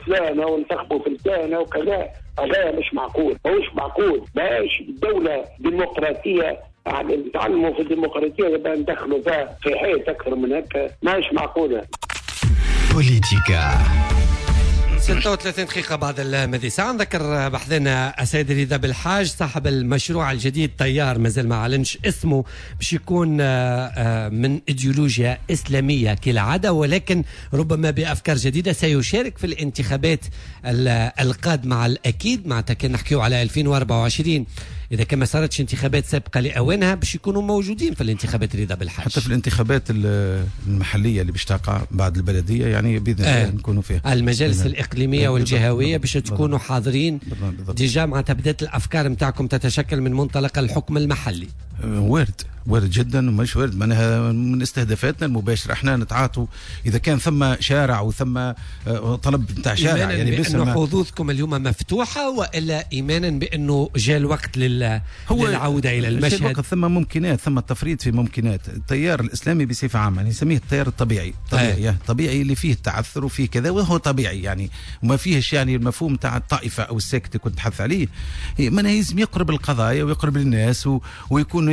فلان أو انتخبوا فلان وكذا. هذا مش معقول، مش معقول. باش دولة ديمقراطية نتعلموا في الديمقراطية يبقى ندخلوا فيها في حيط أكثر من هكا، ماهيش معقولة. بوليتيكا 36 دقيقة بعد الماضي ساعة. نذكر بحثنا السيد رضا بالحاج صاحب المشروع الجديد تيار، مازال ما أعلنش اسمه، باش يكون من إيديولوجيا إسلامية كالعادة، ولكن ربما بأفكار جديدة. سيشارك في الانتخابات القادمة على الأكيد، معناتها كان نحكيو على 2024 اذا كان ما صارتش انتخابات سابقه لاوانها باش يكونوا موجودين في الانتخابات رضا بالحاج، حتى في الانتخابات المحلية اللي باش تقع بعد البلدية، يعني باذن الله نكونوا فيها. المجالس الاقليمية والجهويه باش تكونوا حاضرين. déjà معناتها بدات الافكار نتاعكم تتشكل من منطلق الحكم المحلي. وارد جدا، ومش وارد معناها من استهدافاتنا المباشرة احنا نتعاطوا اذا كان ثم شارع وثم طلب نتاع شارع، يعني بانه حظوظكم اليوم مفتوحة، والا ايمانا بانه جاء الوقت للعودة الى المشهد؟ ثم ممكنات، ثم التفريط في ممكنات التيار الاسلامي بصفة عامة، يعني نسميه التيار الطبيعي، طبيعي اللي فيه التعثر وفيه كذا، وهو طبيعي يعني وما فيهش يعني المفهوم تاع الطائفة او الساكت اللي كنت تحث عليه. من لازم يقرب القضايا ويقرب للناس ويكون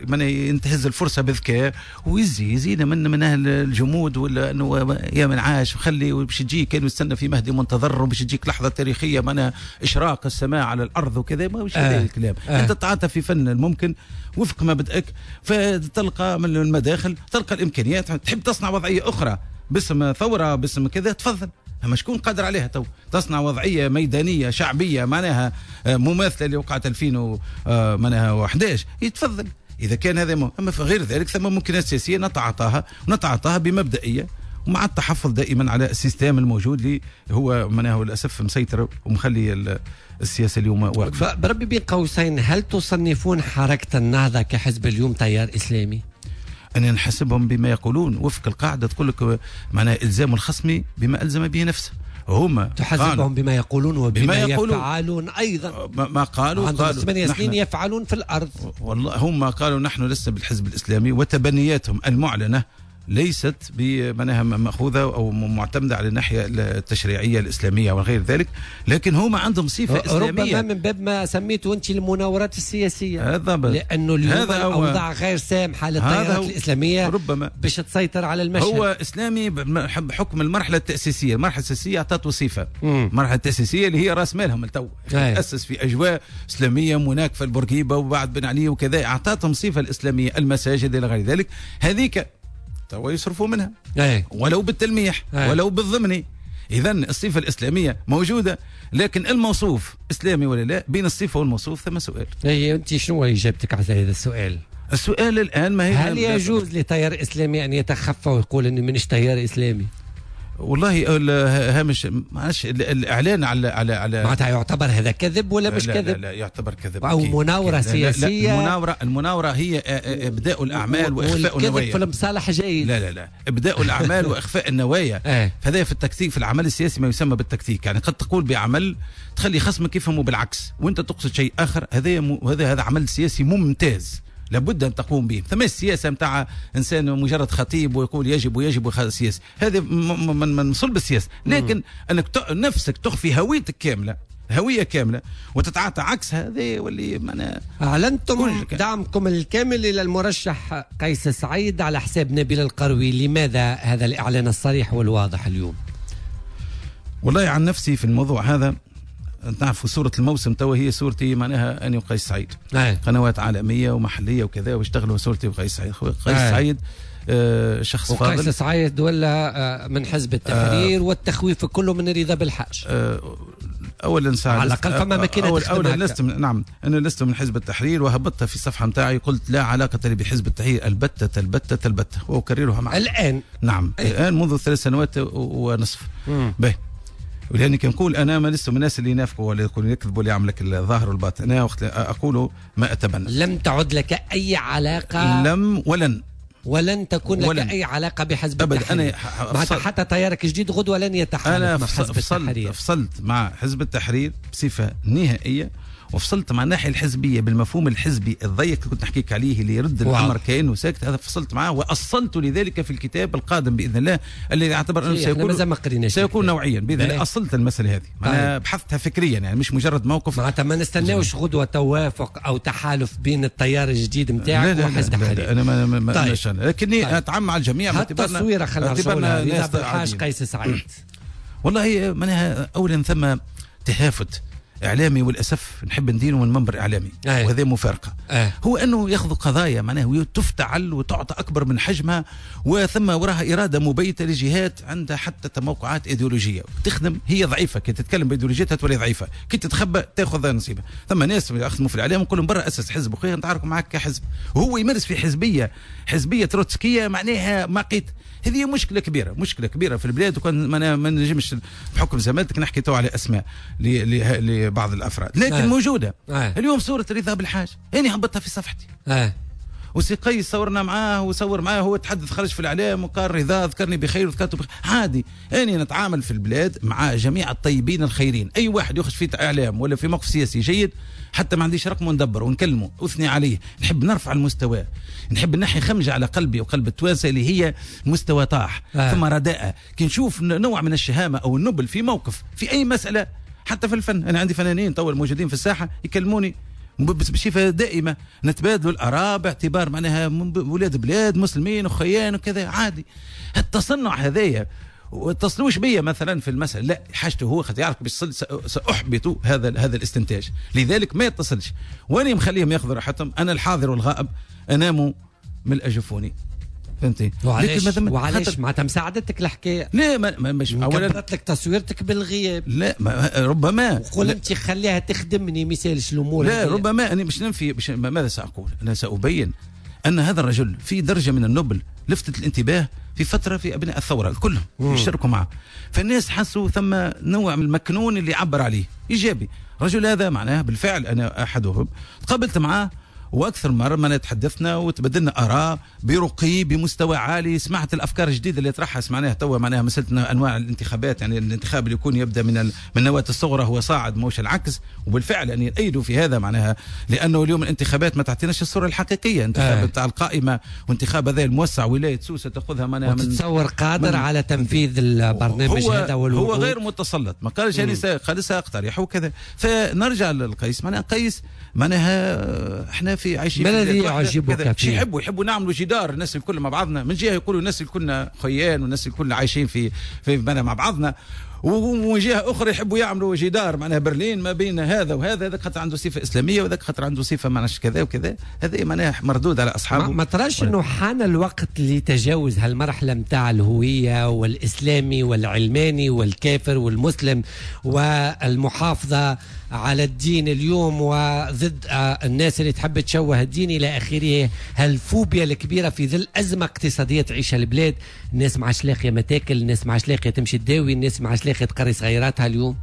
من ينتهز الفرصة بذكاء ويزيد من اهل الجمود، ولا انه يا من عاش وخلي وباش تجي كانوا يستنى في مهدي منتظر وباش تجيك لحظة تاريخية معناها اشراق السماء على الارض وكذا، ما هوش هذا الكلام. انت تتعاطى في فن الممكن وفق مبدئك، فتلقى من المداخل، تلقى الامكانيات، تحب تصنع وضعية اخرى باسم ثورة باسم كذا، تفضل. اما شكون قادر عليها تو تصنع وضعية ميدانية شعبية معناها مماثلة اللي وقعت 2011؟ يتفضل اذا كان هذا. اما في غير ذلك ثم ممكنات سياسية نتعاطاها بمبدئيه، ومع التحفظ دائما على ال système الموجود اللي هو معناه للاسف مسيطر ومخلي السياسة اليوم واقفة. بربي بين قوسين، هل تصنفون حركة النهضة كحزب اليوم تيار اسلامي؟ أنا نحسبهم بما يقولون وفق القاعدة، تقول لك معناها إلزام الخصم بما ألزم به نفسه. هما تحاسبهم بما يقولون وبما يفعلون أيضا. ما قالوا 8 سنين يفعلون في الأرض. والله هم قالوا نحن لسنا بالحزب الإسلامي، وتبنياتهم المعلنة ليست بمعناها مأخوذة أو معتمدة على الناحية التشريعية الإسلامية وغير ذلك، لكن هما عندهم صفة إسلامية. ربما من باب ما سميته أنت المناورات السياسية، لأنه اليوم الأوضاع غير سامحة للتيارات الإسلامية ربما باش تسيطر على المشهد. هو إسلامي بحكم المرحلة التأسيسية، المرحلة التأسيسية أعطته صفة، المرحلة التأسيسية اللي هي رأس مالهم التو تأسس في أجواء إسلامية مناكفة البورقيبة وبعد بن علي وكذا، أعطتهم صفة الإسلامية، المساجد إلى غير ذلك. هذيك توا يصرفوا منها ولو بالتلميح ولو بالضمني. إذن الصفة الإسلامية موجودة، لكن الموصوف إسلامي ولا لا؟ بين الصفة والموصوف ثم سؤال. أنت شنو إجابتك على هذا السؤال؟ السؤال الآن ما هي، هل يجوز لتيار إسلامي أن يتخفى ويقول أني منش تيار إسلامي؟ والله هامش معلش الاعلان على على على معناتها يعتبر هذا كذب ولا مش كذب؟ لا, لا يعتبر كذب او مناوره سياسية. لا المناوره هي ابداء الاعمال واخفاء النوايا. في المصالح جيد. لا لا لا، ابداء الاعمال واخفاء النوايا. فهذا في التكتيك، في العمل السياسي ما يسمى بالتكتيك، يعني قد تقول بعمل تخلي خصمك يفهمه بالعكس وانت تقصد شيء اخر. هذا عمل سياسي ممتاز لابد ان تقوم به. ثم السياسة نتاع انسان مجرد خطيب ويقول يجب ويجب سياسة، هذا من صلب السياسة. لكن انك نفسك تخفي هويتك كاملة، هوية كاملة، وتتعاطى عكس هذا واللي معناها. اعلنتم دعمكم الكامل الى المرشح قيس سعيد على حساب نبيل القروي، لماذا هذا الاعلان الصريح والواضح اليوم؟ والله عن نفسي في الموضوع هذا تعرفوا صورة الموسم توا هي صورتي معناها أنا وقيس سعيد. قنوات عالمية ومحلية وكذا واشتغلوا صورتي وقيس سعيد. قيس سعيد شخص فاضل. وقيس سعيد ولا من حزب التحرير والتخويف كله من رضا بالحاج. أولا على الأقل فما ماكينة. أولا لست نعم أنا لست من حزب التحرير، وهبطت في الصفحة متاعي قلت لا علاقة لي بحزب التحرير البتة البتة البتة، وأكررها معك الآن. نعم الآن منذ 3 سنوات ونصف. به ولأني كنقول أنا ما لست من الناس اللي ينافقوا ولا يقولوا يكذبوا ولا يعمل لك الظاهر والباطن. أنا وقت أقول ما أتبنى. لم تعد لك أي علاقة، لم ولن تكون لك أي علاقة بحزب التحرير. أنا حتى تيارك الجديد غدوة لن يتحالف مع حزب التحرير. فصلت مع حزب التحرير بصفة نهائية، وفصلت مع الناحية الحزبية بالمفهوم الحزبي الضيق اللي كنت نحكيك عليه اللي يرد الأمر كأنه ساكت. هذا فصلت معه وأصلت لذلك في الكتاب القادم بإذن الله الذي يعتبر أنه سيكون نوعيا بإذن الله. أصلت المسألة هذه، أنا بحثتها فكريا، يعني مش مجرد موقف. معناتها ما نستناوش غدوة توافق أو تحالف بين التيار الجديد نتاعك وحزب التحرير. أنا ما طيب. لكني أتعم على الجميع. التصويرة خلينا نرجعوا لها. قيس سعيد. والله معناها أولا ثم تهافت اعلامي وللاسف نحب ندينه من منبر اعلامي وهذه مفارقه. هو انه ياخذ قضايا معناها وتفتعل وتعطى اكبر من حجمها، وثم وراها اراده مبيته لجهات عندها حتى تموقعات ايديولوجية تخدم. هي ضعيفة كي تتكلم بايديولوجيتها تولي ضعيفة، كي تتخبى تاخذ نصيبها. ثم ناس يخدموا في الاعلام نقول لهم برا اسس حزب وخير نتعاركوا معك كحزب، وهو يمارس في حزبية تروتسكيه معناها مقيت. هذه مشكلة كبيرة، مشكلة كبيرة في البلاد، وكان ما نجمش بحكم زمالتك نحكي تو على اسماء لبعض الافراد، لكن موجودة. اليوم صوره رضا بالحاج انا هبطتها في صفحتي. وسي قيس صورنا معاه وصور معاه، هو تحدث خرج في الاعلام وقال رضا ذكرني بخير وذكرته بخير. عادي، انا نتعامل في البلاد مع جميع الطيبين الخيرين. اي واحد يخرج في اعلام ولا في موقف سياسي جيد، حتى ما عنديش رقم وندبر ونكلمه اثني عليه. نحب نرفع المستوى، نحب نحي خمجه على قلبي وقلب التوانسة اللي هي مستوى طاح. ثم رداءه كي نشوف نوع من الشهامه او النبل في موقف في اي مسالة، حتى في الفن. انا عندي فنانين تو موجودين في الساحة يكلموني بصفة دائمة، نتبادلوا الاراء باعتبار معناها ولاد بلاد مسلمين وخيان وكذا. عادي التصنع هذايا، واتصلوش بيا مثلا في المسألة، لا حاجته هو خاطر يعرف باش سأحبط هذا الاستنتاج، لذلك ما يتصلش. واني مخليهم ياخذوا راحتهم. انا الحاضر والغائب انام ملء جفوني، فهمتي؟ وعلاش وعلاش معناتها مساعدتك الحكاية؟ لا ما مش اولا كبرت لك تصويرتك بالغياب. لا ما ربما وقول انت خليها تخدمني ما يسالش الامور. لا ربما انا مش ننفي، مش ماذا ساقول؟ انا سابين ان هذا الرجل في درجه من النبل لفتت الانتباه في فترة في ابناء الثورة كلهم يشتركوا معه، فالناس حسوا ثم نوع من المكنون اللي عبر عليه ايجابي. الرجل هذا معناه بالفعل انا احدهم تقابلت معاه واكثر مرة ما تحدثنا وتبدلنا اراء برقي بمستوى عالي. سمعت الافكار الجديدة اللي طرحها، سمعناها توا معناها مسالة انواع الانتخابات، يعني الانتخاب اللي يكون يبدا من النواة الصغرى هو صاعد موش العكس. وبالفعل اني ايدوا في هذا معناها، لانه اليوم الانتخابات ما تعطيناش الصورة الحقيقية. انتخاب تاع القائمة وانتخاب هذا الموسع ولاية سوسة تاخذها معناها من تتصور قادر على تنفيذ البرنامج هذا هو غير متسلط، ما قالش يعني قال ساقترح وكذا. فنرجع للقيس، معناها قيس معناها احنا في عايشين ما الذي يعجبك فيه؟ يحبوا نعملوا جدار الناس الكل مع بعضنا. من جهة يقولوا الناس الكل خيان والناس الكل عايشين في معناها مع بعضنا، ومن جهة اخرى يحبوا يعملوا جدار معناها برلين ما بين هذا وهذا، هذا خاطر عنده صفة اسلامية وذاك خاطر عنده صفة معناها كذا وكذا. هذا معناها مردود على اصحابه. ما تراش انه حان الوقت لتجاوز هالمرحلة نتاع الهوية والاسلامي والعلماني والكافر والمسلم والمحافظة على الدين اليوم وضد الناس اللي تحب تشوه الدين الى اخره؟ هالفوبيا الكبيرة في ظل ازمة اقتصادية تعيشها البلاد، الناس ما عادش لاقيه ما تاكل، الناس ما عادش لاقيه تمشي تداوي، الناس ما عادش لاقيه تقري صغيراتها اليوم.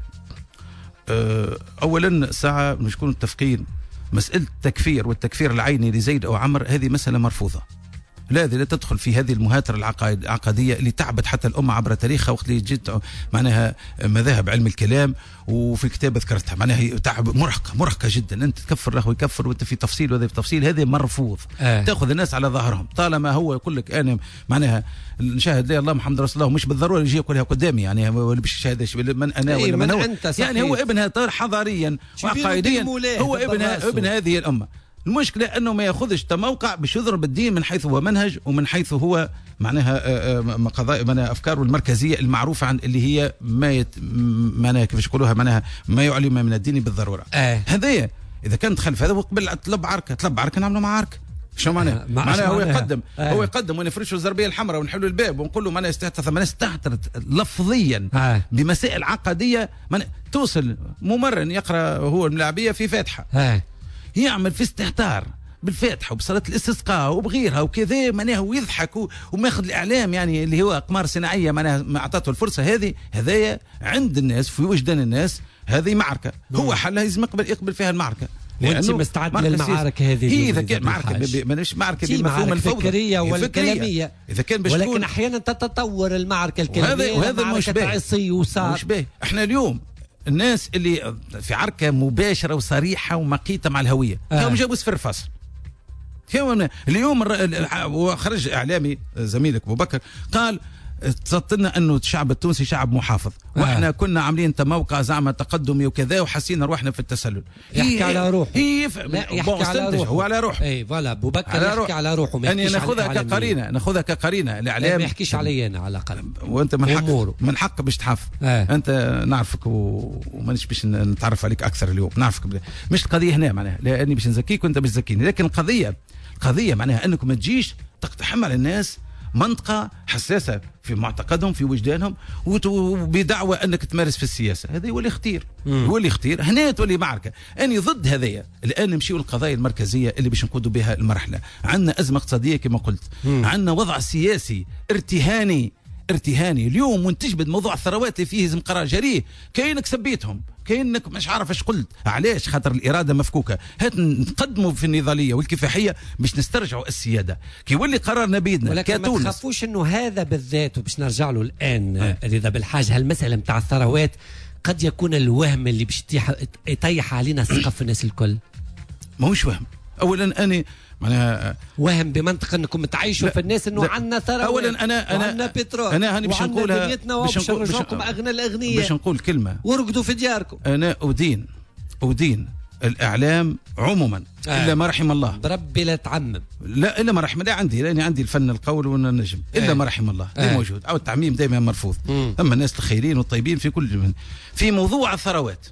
اولا ساعة نكون متفقين، مسالة التكفير والتكفير العيني لزيد او عمر هذه مسالة مرفوضة. لا لا تدخل في هذه المهاترة العقدية اللي تعبت حتى الأمة عبر تاريخها. وقت اللي جيت معناها مذاهب علم الكلام وفي الكتاب ذكرتها، معناها تعب مرهقة جدا. أنت تكفر له ويكفر وأنت في تفصيل وهذا في تفصيل، هذا مرفوض. تأخذ الناس على ظهرهم. طالما هو يقول لك أنا معناها نشاهد لا الله محمد رسول الله، مش بالضرورة يجي يقولها قدامي يعني ولا باش يشهد من أنا ولا من هو، يعني هو ابنها حضاريا وعقائديا، هو ابن هذه الأمة. المشكلة أنه ما يأخذش تموقع باش يضرب الدين من حيث هو منهج ومن حيث هو معناها قضايا معناها أفكاره المركزية المعروفة عن اللي هي ما معناها كيفاش يقولوها معناها ما يعلم من الدين بالضرورة. هذايا إذا كان دخل في هذا وقبل طلب عركة نعملوا مع عركة. شو معناه؟ معناه هو يقدم هو يقدم ونفرشوا الزربيه الحمراء ونحلوا الباب ونقول له معناها ثم ناس استهترت لفظيا بمسائل عقدية. توصل ممرن يقرأ هو الملاعبية في فاتحة يعمل في استهتار بالفاتحة وبصلاة الاستسقاء وبغيرها وكذا معناها، ويضحك وماخذ الإعلام يعني اللي هو أقمار صناعية معناها ما أعطته الفرصة هذه. هذايا عند الناس في وجدان الناس هذه معركة، هو حلها لازم يقبل فيها المعركة. وانت مستعد للمعارك هذه؟ هي اذا كان معركة مانيش معركة بمفهوم الفوضى الفكرية والكلاميه، اذا كان ولكن احيانا تتطور المعركة الكلامية وهذا مش باهي. مش باهي. احنا اليوم الناس اللي في عركة مباشرة وصريحة ومقيته مع الهوية هم جابوا صفر فاصل. اليوم وخرج اعلامي زميلك ابو بكر قال تصدت انه الشعب التونسي شعب محافظ، واحنا كنا عاملين تموقع زعما تقدمي وكذا وحسينا روحنا في التسلل. يحكي على روحه، يحكي على روحه، هو على روحه. اي voilà بوبكر يحكي على روحه، ما يحكيش ناخذها كقرينه، ناخذها كقرينه. الاعلام ما يحكيش علي انا على الاقل، وانت من حق من حق باش تحافظ. انت نعرفك ومانيش باش نتعرف عليك اكثر اليوم، نعرفك مش القضية هنا معناها، لاني باش نزكيك وانت باش تزكيني، لكن القضية معناها انكم ما تجيش تقتحم على الناس منطقة حساسة في معتقدهم في وجدانهم وبدعوى أنك تمارس في السياسة. هذا يولي خطير، يولي خطير. هنا تولي معركة. أنا ضد هذايا. الآن نمشيو للقضايا المركزية اللي باش نقودوا بها المرحلة. عندنا أزمة اقتصادية كما قلت، عندنا وضع سياسي ارتهاني ارتهاني. اليوم وانت تجبد موضوع الثروات اللي فيه لازم قرار جريء، كاينك سبيتهم، كاينك مش عارف اش قلت. علاش؟ خاطر الارادة مفكوكه. هات نقدموا في النضاليه والكفاحيه باش نسترجعوا السيادة كي يولي قرارنا بيدنا. ولكن ما تخافوش انه هذا بالذات، وباش نرجع له الان رضا بالحاج، هالمسالة نتاع الثروات قد يكون الوهم اللي باش يطيح علينا السقف الناس الكل. ماهوش وهم. اولا انا معناها وهم بمنطق انكم تعيشوا في الناس انه عندنا ثروات، اولا انا عندنا بترول، انا هاني باش نقولها، باش نرجعكم اغنى الاغنياء، باش نقول كلمة ورقدوا في دياركم. انا ادين الاعلام عموما الا ما رحم الله. بربي لا تعمم، لا الا ما رحم الله. عندي لاني عندي الفن القول والنجم الا ما رحم الله موجود، او التعميم دائما مرفوض. اما الناس الخيرين والطيبين في كل من في موضوع الثروات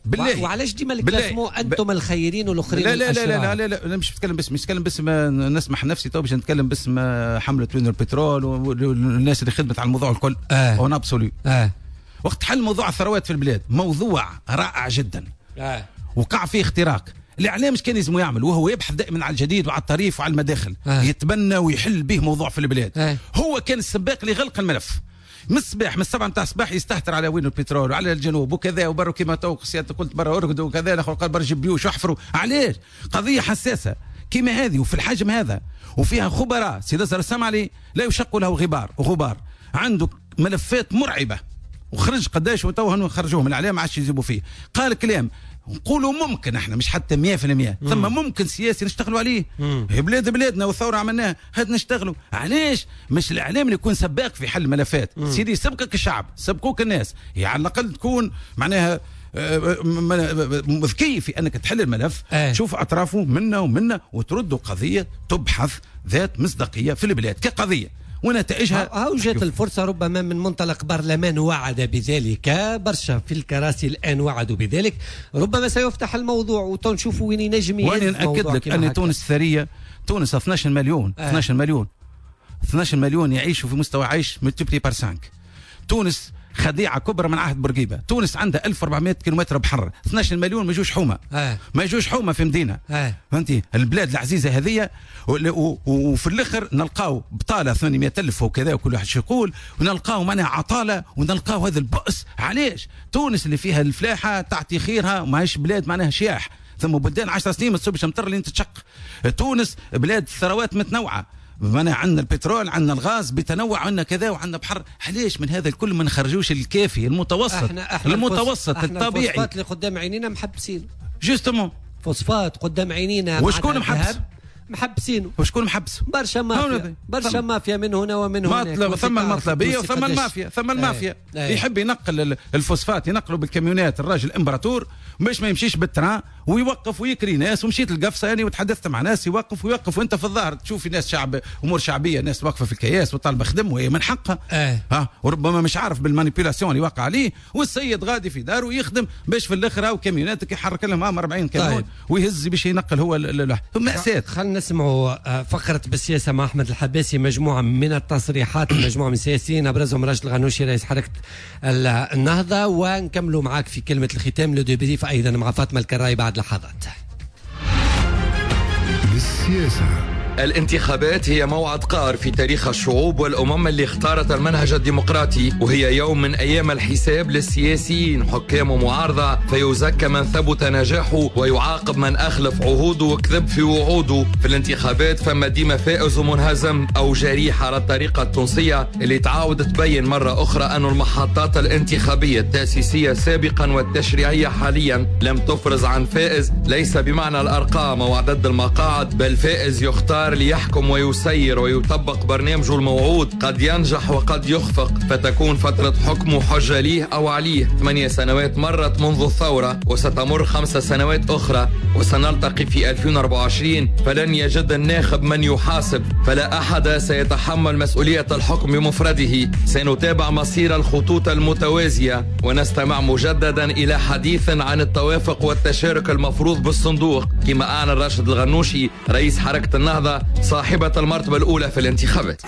بالله. وعلاش ديما ال classement انتم الخيرين والاخرين؟ لا لا لا لا لا لا، انا مش بتكلم بس، مش بتكلم بس، ما نسمح نفسي تو باش نتكلم باسم حمله وين البترول والناس اللي خدمت على الموضوع الكل. en absolu. وقت حل موضوع الثروات في البلاد موضوع رائع جدا. وقع فيه اختراق. الاعلام مش كان لازم يعمل، وهو يبحث دائما على الجديد وعلى الطريف وعلى المداخل. يتبنى ويحل به موضوع في البلاد. هو كان السباق لغلق الملف. من الصباح، من 7 نتاع الصباح يستهتر على وين البترول وعلى الجنوب وكذا وبرو كما تو سيادتك قلت برا ارقدوا وكذا، الاخر قال برا جيب بيوش احفروا. علاش؟ قضية حساسة كما هذه وفي الحجم هذا وفيها خبراء. سيد أزهر السمعلي لا يشق له غبار، عنده ملفات مرعبة وخرج قداش وتو خرجوه من الاعلام ما عادش يجيبوا فيه. قال كلام نقولوا ممكن احنا مش حتى 100%، ثم ممكن سياسي نشتغلوا عليه. هي بلاد بلادنا والثورة عملناها، هاد نشتغلوا. علاش مش الاعلام اللي يكون سباق في حل الملفات؟ سيدي سبقك الشعب، سبقوك الناس، يعني على الاقل تكون معناها ذكي في انك تحل الملف. تشوف اطرافه منا ومنا وتردوا قضية تبحث ذات مصداقية في البلاد كقضية ونتائجها. هاو جات الفرصة ربما من منطلق برلمان وعد بذلك، برشا في الكراسي الآن وعدوا بذلك، ربما سيفتح الموضوع وتنشوفوا وين ينجم. وأنا نأكد لك أن تونس ثرية، تونس 12 مليون، 12 مليون، 12 مليون يعيشوا في مستوى عيش multiplié par 5. تونس خديعة كبرى من عهد بورقيبة. تونس عندها 1400 كيلومتر بحر، 12 مليون ما يجوش حومه، ما يجوش حومه في مدينة. فهمتي؟ البلاد العزيزة هذه، وفي الاخر نلقاو بطاله 800,000 وكذا وكل واحد شو يقول، ونلقاو معناها عطاله، ونلقاو هذا البؤس. علاش؟ تونس اللي فيها الفلاحة تعطي خيرها، وماهيش بلاد معناها شياح. ثم بلدان 10 سنين ما تصبش مطر لين تتشق. تونس بلاد ثروات متنوعة، معناها عندنا البترول، عندنا الغاز بتنوع، عندنا كذا وعندنا بحر. علاش من هذا الكل ما نخرجوش الكافي المتوسط؟ احنا المتوسط الطبيعي. الفوسفات اللي قدام عينينا محبسين. justement فوسفات قدام عينينا. وشكون محبس؟ محبسينه. وشكون محبس؟ برشا مافيا، برشا مافيا من هنا ومن هناك. ثم المطلبيه وثم المافيا، ثم المافيا يحب ينقل الفوسفات، ينقله بالكاميونات الراجل امبراطور باش ما يمشيش بال train ويوقف ويكري ناس. ومشيت القفصه يعني وتحدثت مع ناس، يوقف ويوقف وانت في الظاهر تشوف ناس شعب، امور شعبية، ناس واقفة في الكياس وطالبه خدم وهي من حقها. ها وربما مش عارف بال manipulation اللي وقع عليه، والسيد غادي في داره ويخدم باش في الاخر هاو كاميوناتك يحرك لهم 40 كاميون. طيب. ويهز باش ينقل هو مأساة. خلينا نسمعوا فقرة بالسياسة مع أحمد الحباسي، مجموعة من التصريحات مجموعة من السياسيين أبرزهم راشد الغنوشي رئيس حركة النهضة، ونكملوا معاك في كلمة الختام le débrief أيضا مع فاطمة الكراي بعد لحظات. بالسياسة. الانتخابات هي موعد قار في تاريخ الشعوب والأمم اللي اختارت المنهج الديمقراطي، وهي يوم من أيام الحساب للسياسيين حكام ومعارضة، فيزكى من ثبت نجاحه ويعاقب من أخلف عهوده وكذب في وعوده. في الانتخابات فما ديما فائز ومنهزم أو جريح على الطريقة التونسية اللي تعاود تبين مرة أخرى أن المحطات الانتخابية التأسيسية سابقا والتشريعية حاليا لم تفرز عن فائز، ليس بمعنى الأرقام أو عدد المقاعد، بل فائز يختار المختار ليحكم ويسير ويطبق برنامجه الموعود. قد ينجح وقد يخفق، فتكون فترة حكمه حجة ليه أو عليه. 8 سنوات مرت منذ الثورة، وستمر 5 سنوات أخرى، وسنلتقي في 2024، فلن يجد الناخب من يحاسب، فلا أحد سيتحمل مسؤولية الحكم بمفرده. سنتابع مصير الخطوط المتوازية، ونستمع مجددا إلى حديث عن التوافق والتشارك المفروض بالصندوق، كما أعلن راشد الغنوشي رئيس حركة النهضة صاحبة المرتبة الأولى في الانتخابات.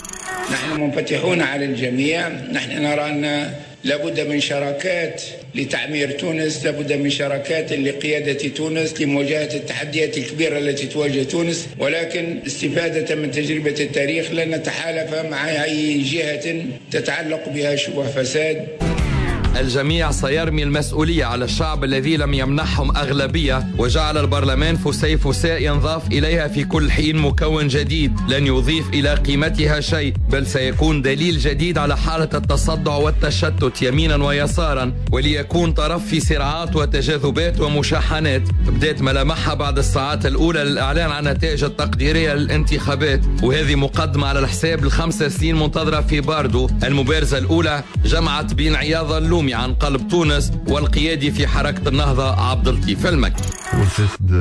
نحن منفتحون على الجميع، نحن نرى أن لابد من شراكات لتعمير تونس، لابد من شراكات لقيادة تونس لمواجهة التحديات الكبيرة التي تواجه تونس، ولكن استفادة من تجربة التاريخ لن نتحالف مع أي جهة تتعلق بها شبه فساد. الجميع سيرمي المسؤولية على الشعب الذي لم يمنحهم أغلبية، وجعل البرلمان فسيفساء ينضاف إليها في كل حين مكون جديد لن يضيف إلى قيمتها شيء، بل سيكون دليل جديد على حالة التصدع والتشتت يمينا ويسارا، وليكون طرف في صراعات وتجاذبات ومشاحنات بدأت ملامحها بعد الساعات الأولى للإعلان عن النتائج التقديرية للانتخابات. وهذه مقدمة على الحساب ل5 سنين منتظرة في باردو. المبارزة الأولى جمعت بين عياض اللومي عن قلب تونس والقيادي في حركة النهضة عبد اللطيف المكي. والفساد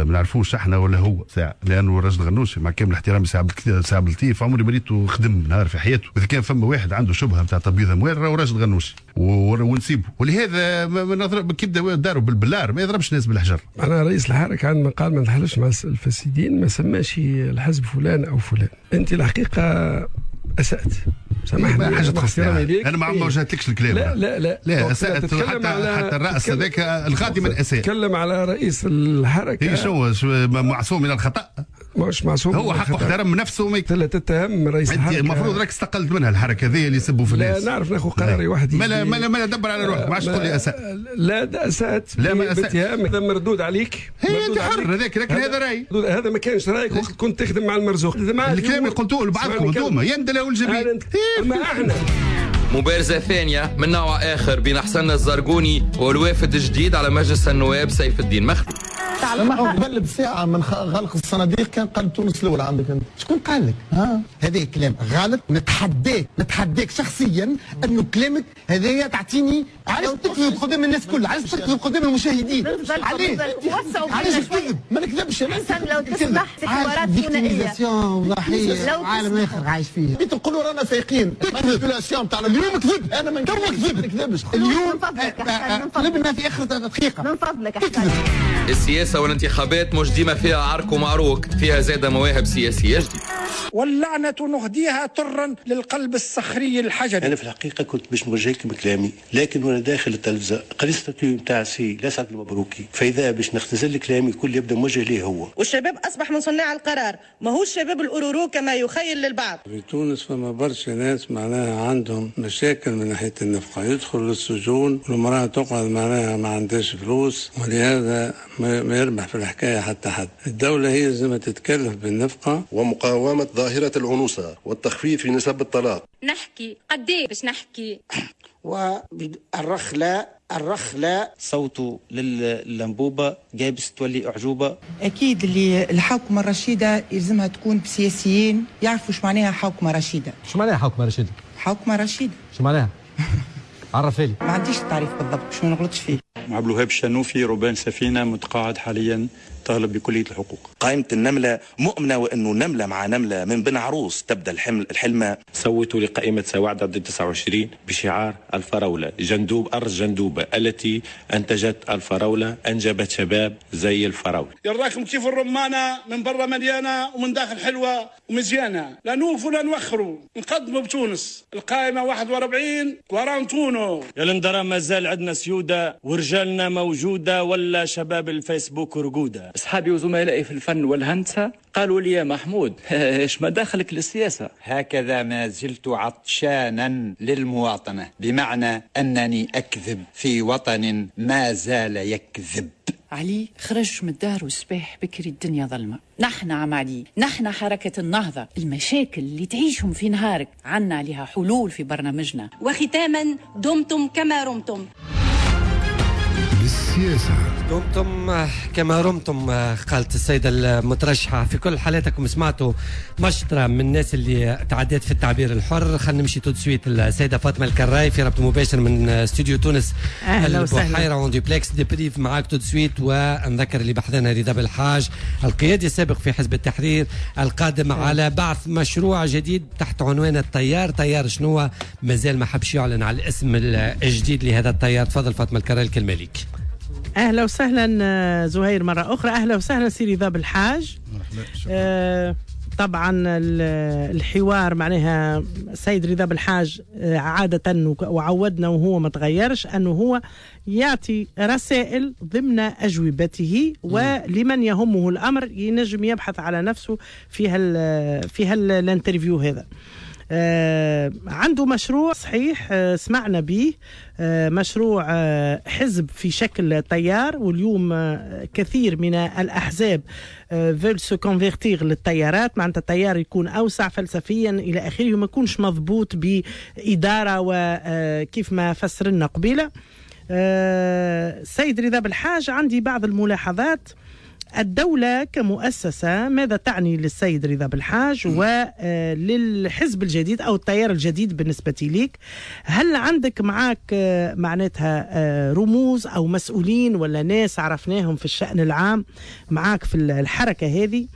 ما نعرفوش احنا ولا هو ساعة، لأنه راشد الغنوشي مع كامل احترامي سي عبد اللطيف عمري ما ريته خدم نهار في حياته. إذا كان فما واحد عنده شبهة نتاع تبييض أموال راهو راشد الغنوشي ونسيبه، ولهذا ما كيبدا داروا بالبلار ما يضربش الناس بالحجر. أنا رئيس الحركة عندما قال ما نتحالفش مع الفاسدين ما سماش الحزب فلان أو فلان. أنت الحقيقة أسأت، سامحني حاجة تخصني انا ما وجهتلكش الكلام. لا لا لا لا اسات حتى الراس هذاك الغادي من اساء. تكلم على رئيس الحركة. إيه شو معصوم من الخطا؟ مش معصوم، هو حقه احترم نفسه. ما لا تتهم رئيس الحركة، المفروض راك استقلت منها الحركة هذه اللي يسبوا في الناس. لا نعرف ناخذ قراري وحدي. ما لا دبر على روحك، ما عادش تقول لي اساء. لا اسات، لا ما اسات، هذا مردود عليك. انت حر هذاك، لكن هذا رايي. هذا ما كانش رايك وقت كنت تخدم مع المرزوق. الكلام اللي قلتوه لبعضكم انتوما يندلوا الجبين. ما احنا مبارزة ثانية من نوع آخر بين حسن الزرقوني والوافد الجديد على مجلس النواب سيف الدين مخلوف. ما قبل بساعة من غلق الصناديق كان قلب تونس الأول عندك أنت، شكون قال لك؟ ها؟ هذا كلام غلط، نتحداك شخصيا أنه كلامك هذايا تعطيني. علاش تكذب قدام الناس كل؟ علاش تكذب قدام المشاهدين؟ علاش؟ علاش تكذب؟ ما نكذبش أنا. لو تسمح حوارات ثنائية. عالم آخر عايش فيه. تقولوا رانا فايقين، manipulation تاع اليوم كذب، أنا ما نكذبش. اليوم قلبنا في آخر دقيقة. من فضلك أحسن. السياسة والانتخابات مش ديما فيها عرك ومعروك، فيها زادة مواهب سياسية جديدة. واللعنة نهديها طرا للقلب الصخري الحجري. أنا في الحقيقة كنت باش نوجه لكم كلامي، لكن وأنا داخل التلفزة قريت statut نتاع سي لسعد المبروكي، فإذا باش نختزل كلامي الكل يبدا موجه ليه هو. والشباب أصبح من صناع القرار، ماهوش شباب الأورورو كما يخيل للبعض. في تونس فما برشا ناس معناها عندهم مشاكل من ناحية النفقة، يدخل للسجون والمرأة تقعد معناها ما عندهاش فلوس، ولهذا ما يربح في الحكاية حتى حد. الدولة هي لازم تتكلف بالنفقة. ومقاومة ظاهرة العنوسة والتخفيف في نسب الطلاق. نحكي قد ايه باش نحكي. والرخلة الرخلة صوته للأنبوبة جابس تولي أعجوبة. أكيد اللي الحوكمة الرشيدة يلزمها تكون بسياسيين يعرفوا شو معناها حوكمة رشيدة. شو معناها حوكمة رشيدة؟ حوكمة رشيدة شو معناها؟ عرفي لي. ما عنديش التعريف بالضبط باش ما نغلطش فيه. عبد الوهاب الشنوفي، ربان سفينة، متقاعد حاليا، طالب بكلية الحقوق. قائمة النملة مؤمنة وأنه نملة مع نملة من بن عروس تبدأ الحلمة. صوتوا لقائمة سواعد ضد 29 بشعار الفراولة، جندوب أرض جندوبة التي أنتجت الفراولة أنجبت شباب زي الفراولة. يراكم كيف الرمانة من برا مليانة ومن داخل حلوة ومزيانة، لا نوفوا لا نوخروا، نقدموا بتونس. القائمة 41 كوارانتونو. يا لندرا مازال عندنا سيودة ورجالنا موجودة ولا شباب الفيسبوك رقودة. أصحابي وزملائي في الفن والهندسة قالوا لي يا محمود إيش ما دخلك للسياسة؟ هكذا ما زلت عطشانا للمواطنة، بمعنى أنني أكذب في وطن ما زال يكذب. علي خرج من الدار والصباح بكري الدنيا ظلمة. نحن عم علي، نحن حركة النهضة، المشاكل اللي تعيشهم في نهارك عنا عليها حلول في برنامجنا. وختاما دمتم كما رمتم. السياسة. دمتم كما رمتم، قالت السيدة المترشحة. في كل حالاتكم سمعتوا مشطرة من الناس اللي تعدت في التعبير الحر. خلينا نمشي tout de suite السيدة فاطمة الكراي في ربط مباشر من استوديو تونس البحيرة en duplex débrief معاك tout de suite. ونذكر اللي بحثنا رضا بالحاج القيادي السابق في حزب التحرير القادم على بعث مشروع جديد تحت عنوان التيار. تيار شنو؟ مازال ما حبش يعلن على الاسم الجديد لهذا التيار. تفضل فاطمة الكراي، الكلمة لك. اهلا وسهلا زهير مرة اخرى. اهلا وسهلا سي رضا بالحاج. طبعا الحوار معناها السيد رضا بالحاج عادة وعودنا وهو ما تغيرش أنه هو يعطي رسائل ضمن أجوبته، ولمن يهمه الأمر ينجم يبحث على نفسه في هال interview هذا. عنده مشروع صحيح سمعنا به، مشروع حزب في شكل تيار، واليوم كثير من الأحزاب veulent se convertir للتيارات، معناتها التيار يكون أوسع فلسفيا إلى آخره وما يكونش مضبوط بإدارة وكيف ما فسر لنا قبيلة. سيد رضا بالحاج، عندي بعض الملاحظات. الدولة كمؤسسة ماذا تعني للسيد رضا بالحاج وللحزب الجديد أو التيار الجديد بالنسبة ليك؟ هل عندك معاك معناتها رموز أو مسؤولين ولا ناس عرفناهم في الشأن العام معاك في الحركة هذه؟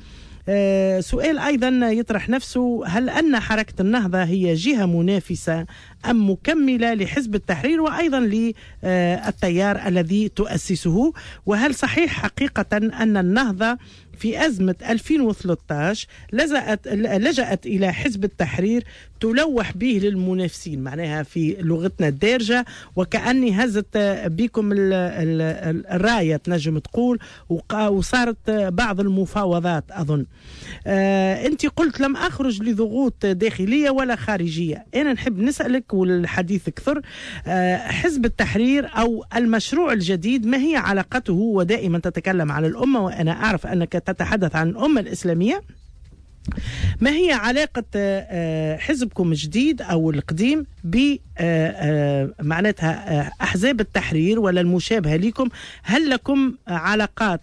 سؤال أيضا يطرح نفسه، هل أن حركة النهضة هي جهة منافسة أم مكملة لحزب التحرير وأيضا للتيار الذي تؤسسه؟ وهل صحيح حقيقة أن النهضة في أزمة 2013 لجأت إلى حزب التحرير تلوح به للمنافسين، معناها في لغتنا الدارجة وكأني هزت بكم الراية تنجم تقول، وصارت بعض المفاوضات أظن. أنت قلت لم أخرج لضغوط داخلية ولا خارجية. أنا نحب نسألك والحديث كثر، حزب التحرير أو المشروع الجديد ما هي علاقته؟ ودائما تتكلم على الأمة وأنا أعرف أنك تتحدث عن الأمة الإسلامية، ما هي علاقة حزبكم الجديد أو القديم ب معناتها أحزاب التحرير ولا المشابهة لكم؟ هل لكم علاقات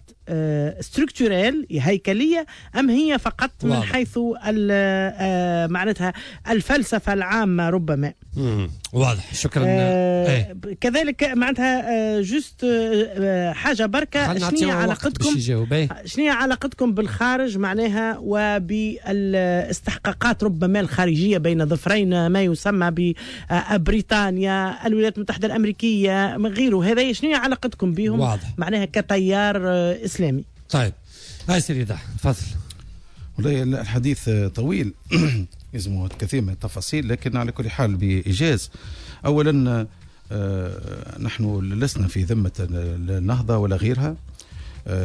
structurelles هيكلية أم هي فقط من واضح. حيث معناتها الفلسفة العامة ربما؟ واضح، شكرا. كذلك معناتها juste حاجة بركة، شنو علاقتكم شنو علاقتكم بالخارج معناها وبالاستحقاقات ربما الخارجية بين ظفرين ما يسمى ببريطانيا، الولايات المتحدة الأمريكية، غيره، هذا شنو علاقتكم بهم؟ واضح. معناها كتيار إسلامي. طيب هاي سيدي تفضل. والله الحديث طويل يلزمه كثير من التفاصيل، لكن على كل حال بإيجاز. أولا نحن لسنا في ذمة النهضة ولا غيرها،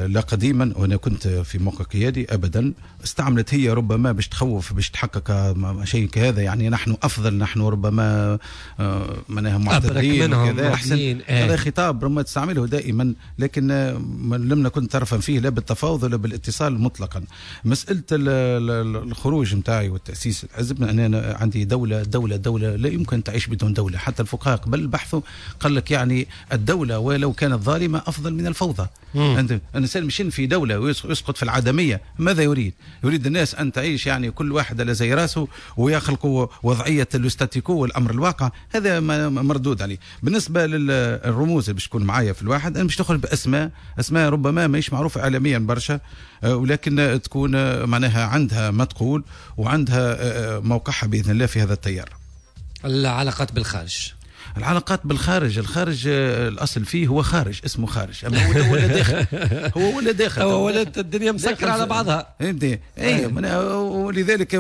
لا قديما، وانا كنت في موقع قيادي ابدا. استعملت هي ربما باش تخوف، باش تحقق شيء كهذا، يعني نحن افضل، نحن ربما معناها معتدلين وكذا احسن. هذا خطاب ربما تستعمله دائما، لكن لم نكن طرفا فيه لا بالتفاوض ولا بالاتصال مطلقا. مسالة الخروج نتاعي والتاسيس الحزب، انا عندي دولة دولة دولة لا يمكن تعيش بدون دولة. حتى الفقهاء قبل بحثوا قال لك يعني الدولة ولو كانت ظالمه افضل من الفوضى. الإنسان مشين في دولة ويسقط في العدمية، ماذا يريد؟ يريد الناس أن تعيش يعني كل واحد على زي راسه ويخلقوا وضعية ال statu quo والأمر الواقع. هذا مردود عليه. بالنسبة للرموز اللي باش تكون معايا في الواحد، أنا باش تخرج بأسماء، أسماء ربما ماهيش معروفة إعلاميا برشا، ولكن تكون معناها عندها ما تقول وعندها موقعها بإذن الله في هذا التيار. العلاقات بالخارج. العلاقات بالخارج، الخارج الأصل فيه هو خارج، اسمه خارج، أما هو ولا داخل، هو ولا داخل، هو ولا الدنيا مسكرة على بعضها. اي ولذلك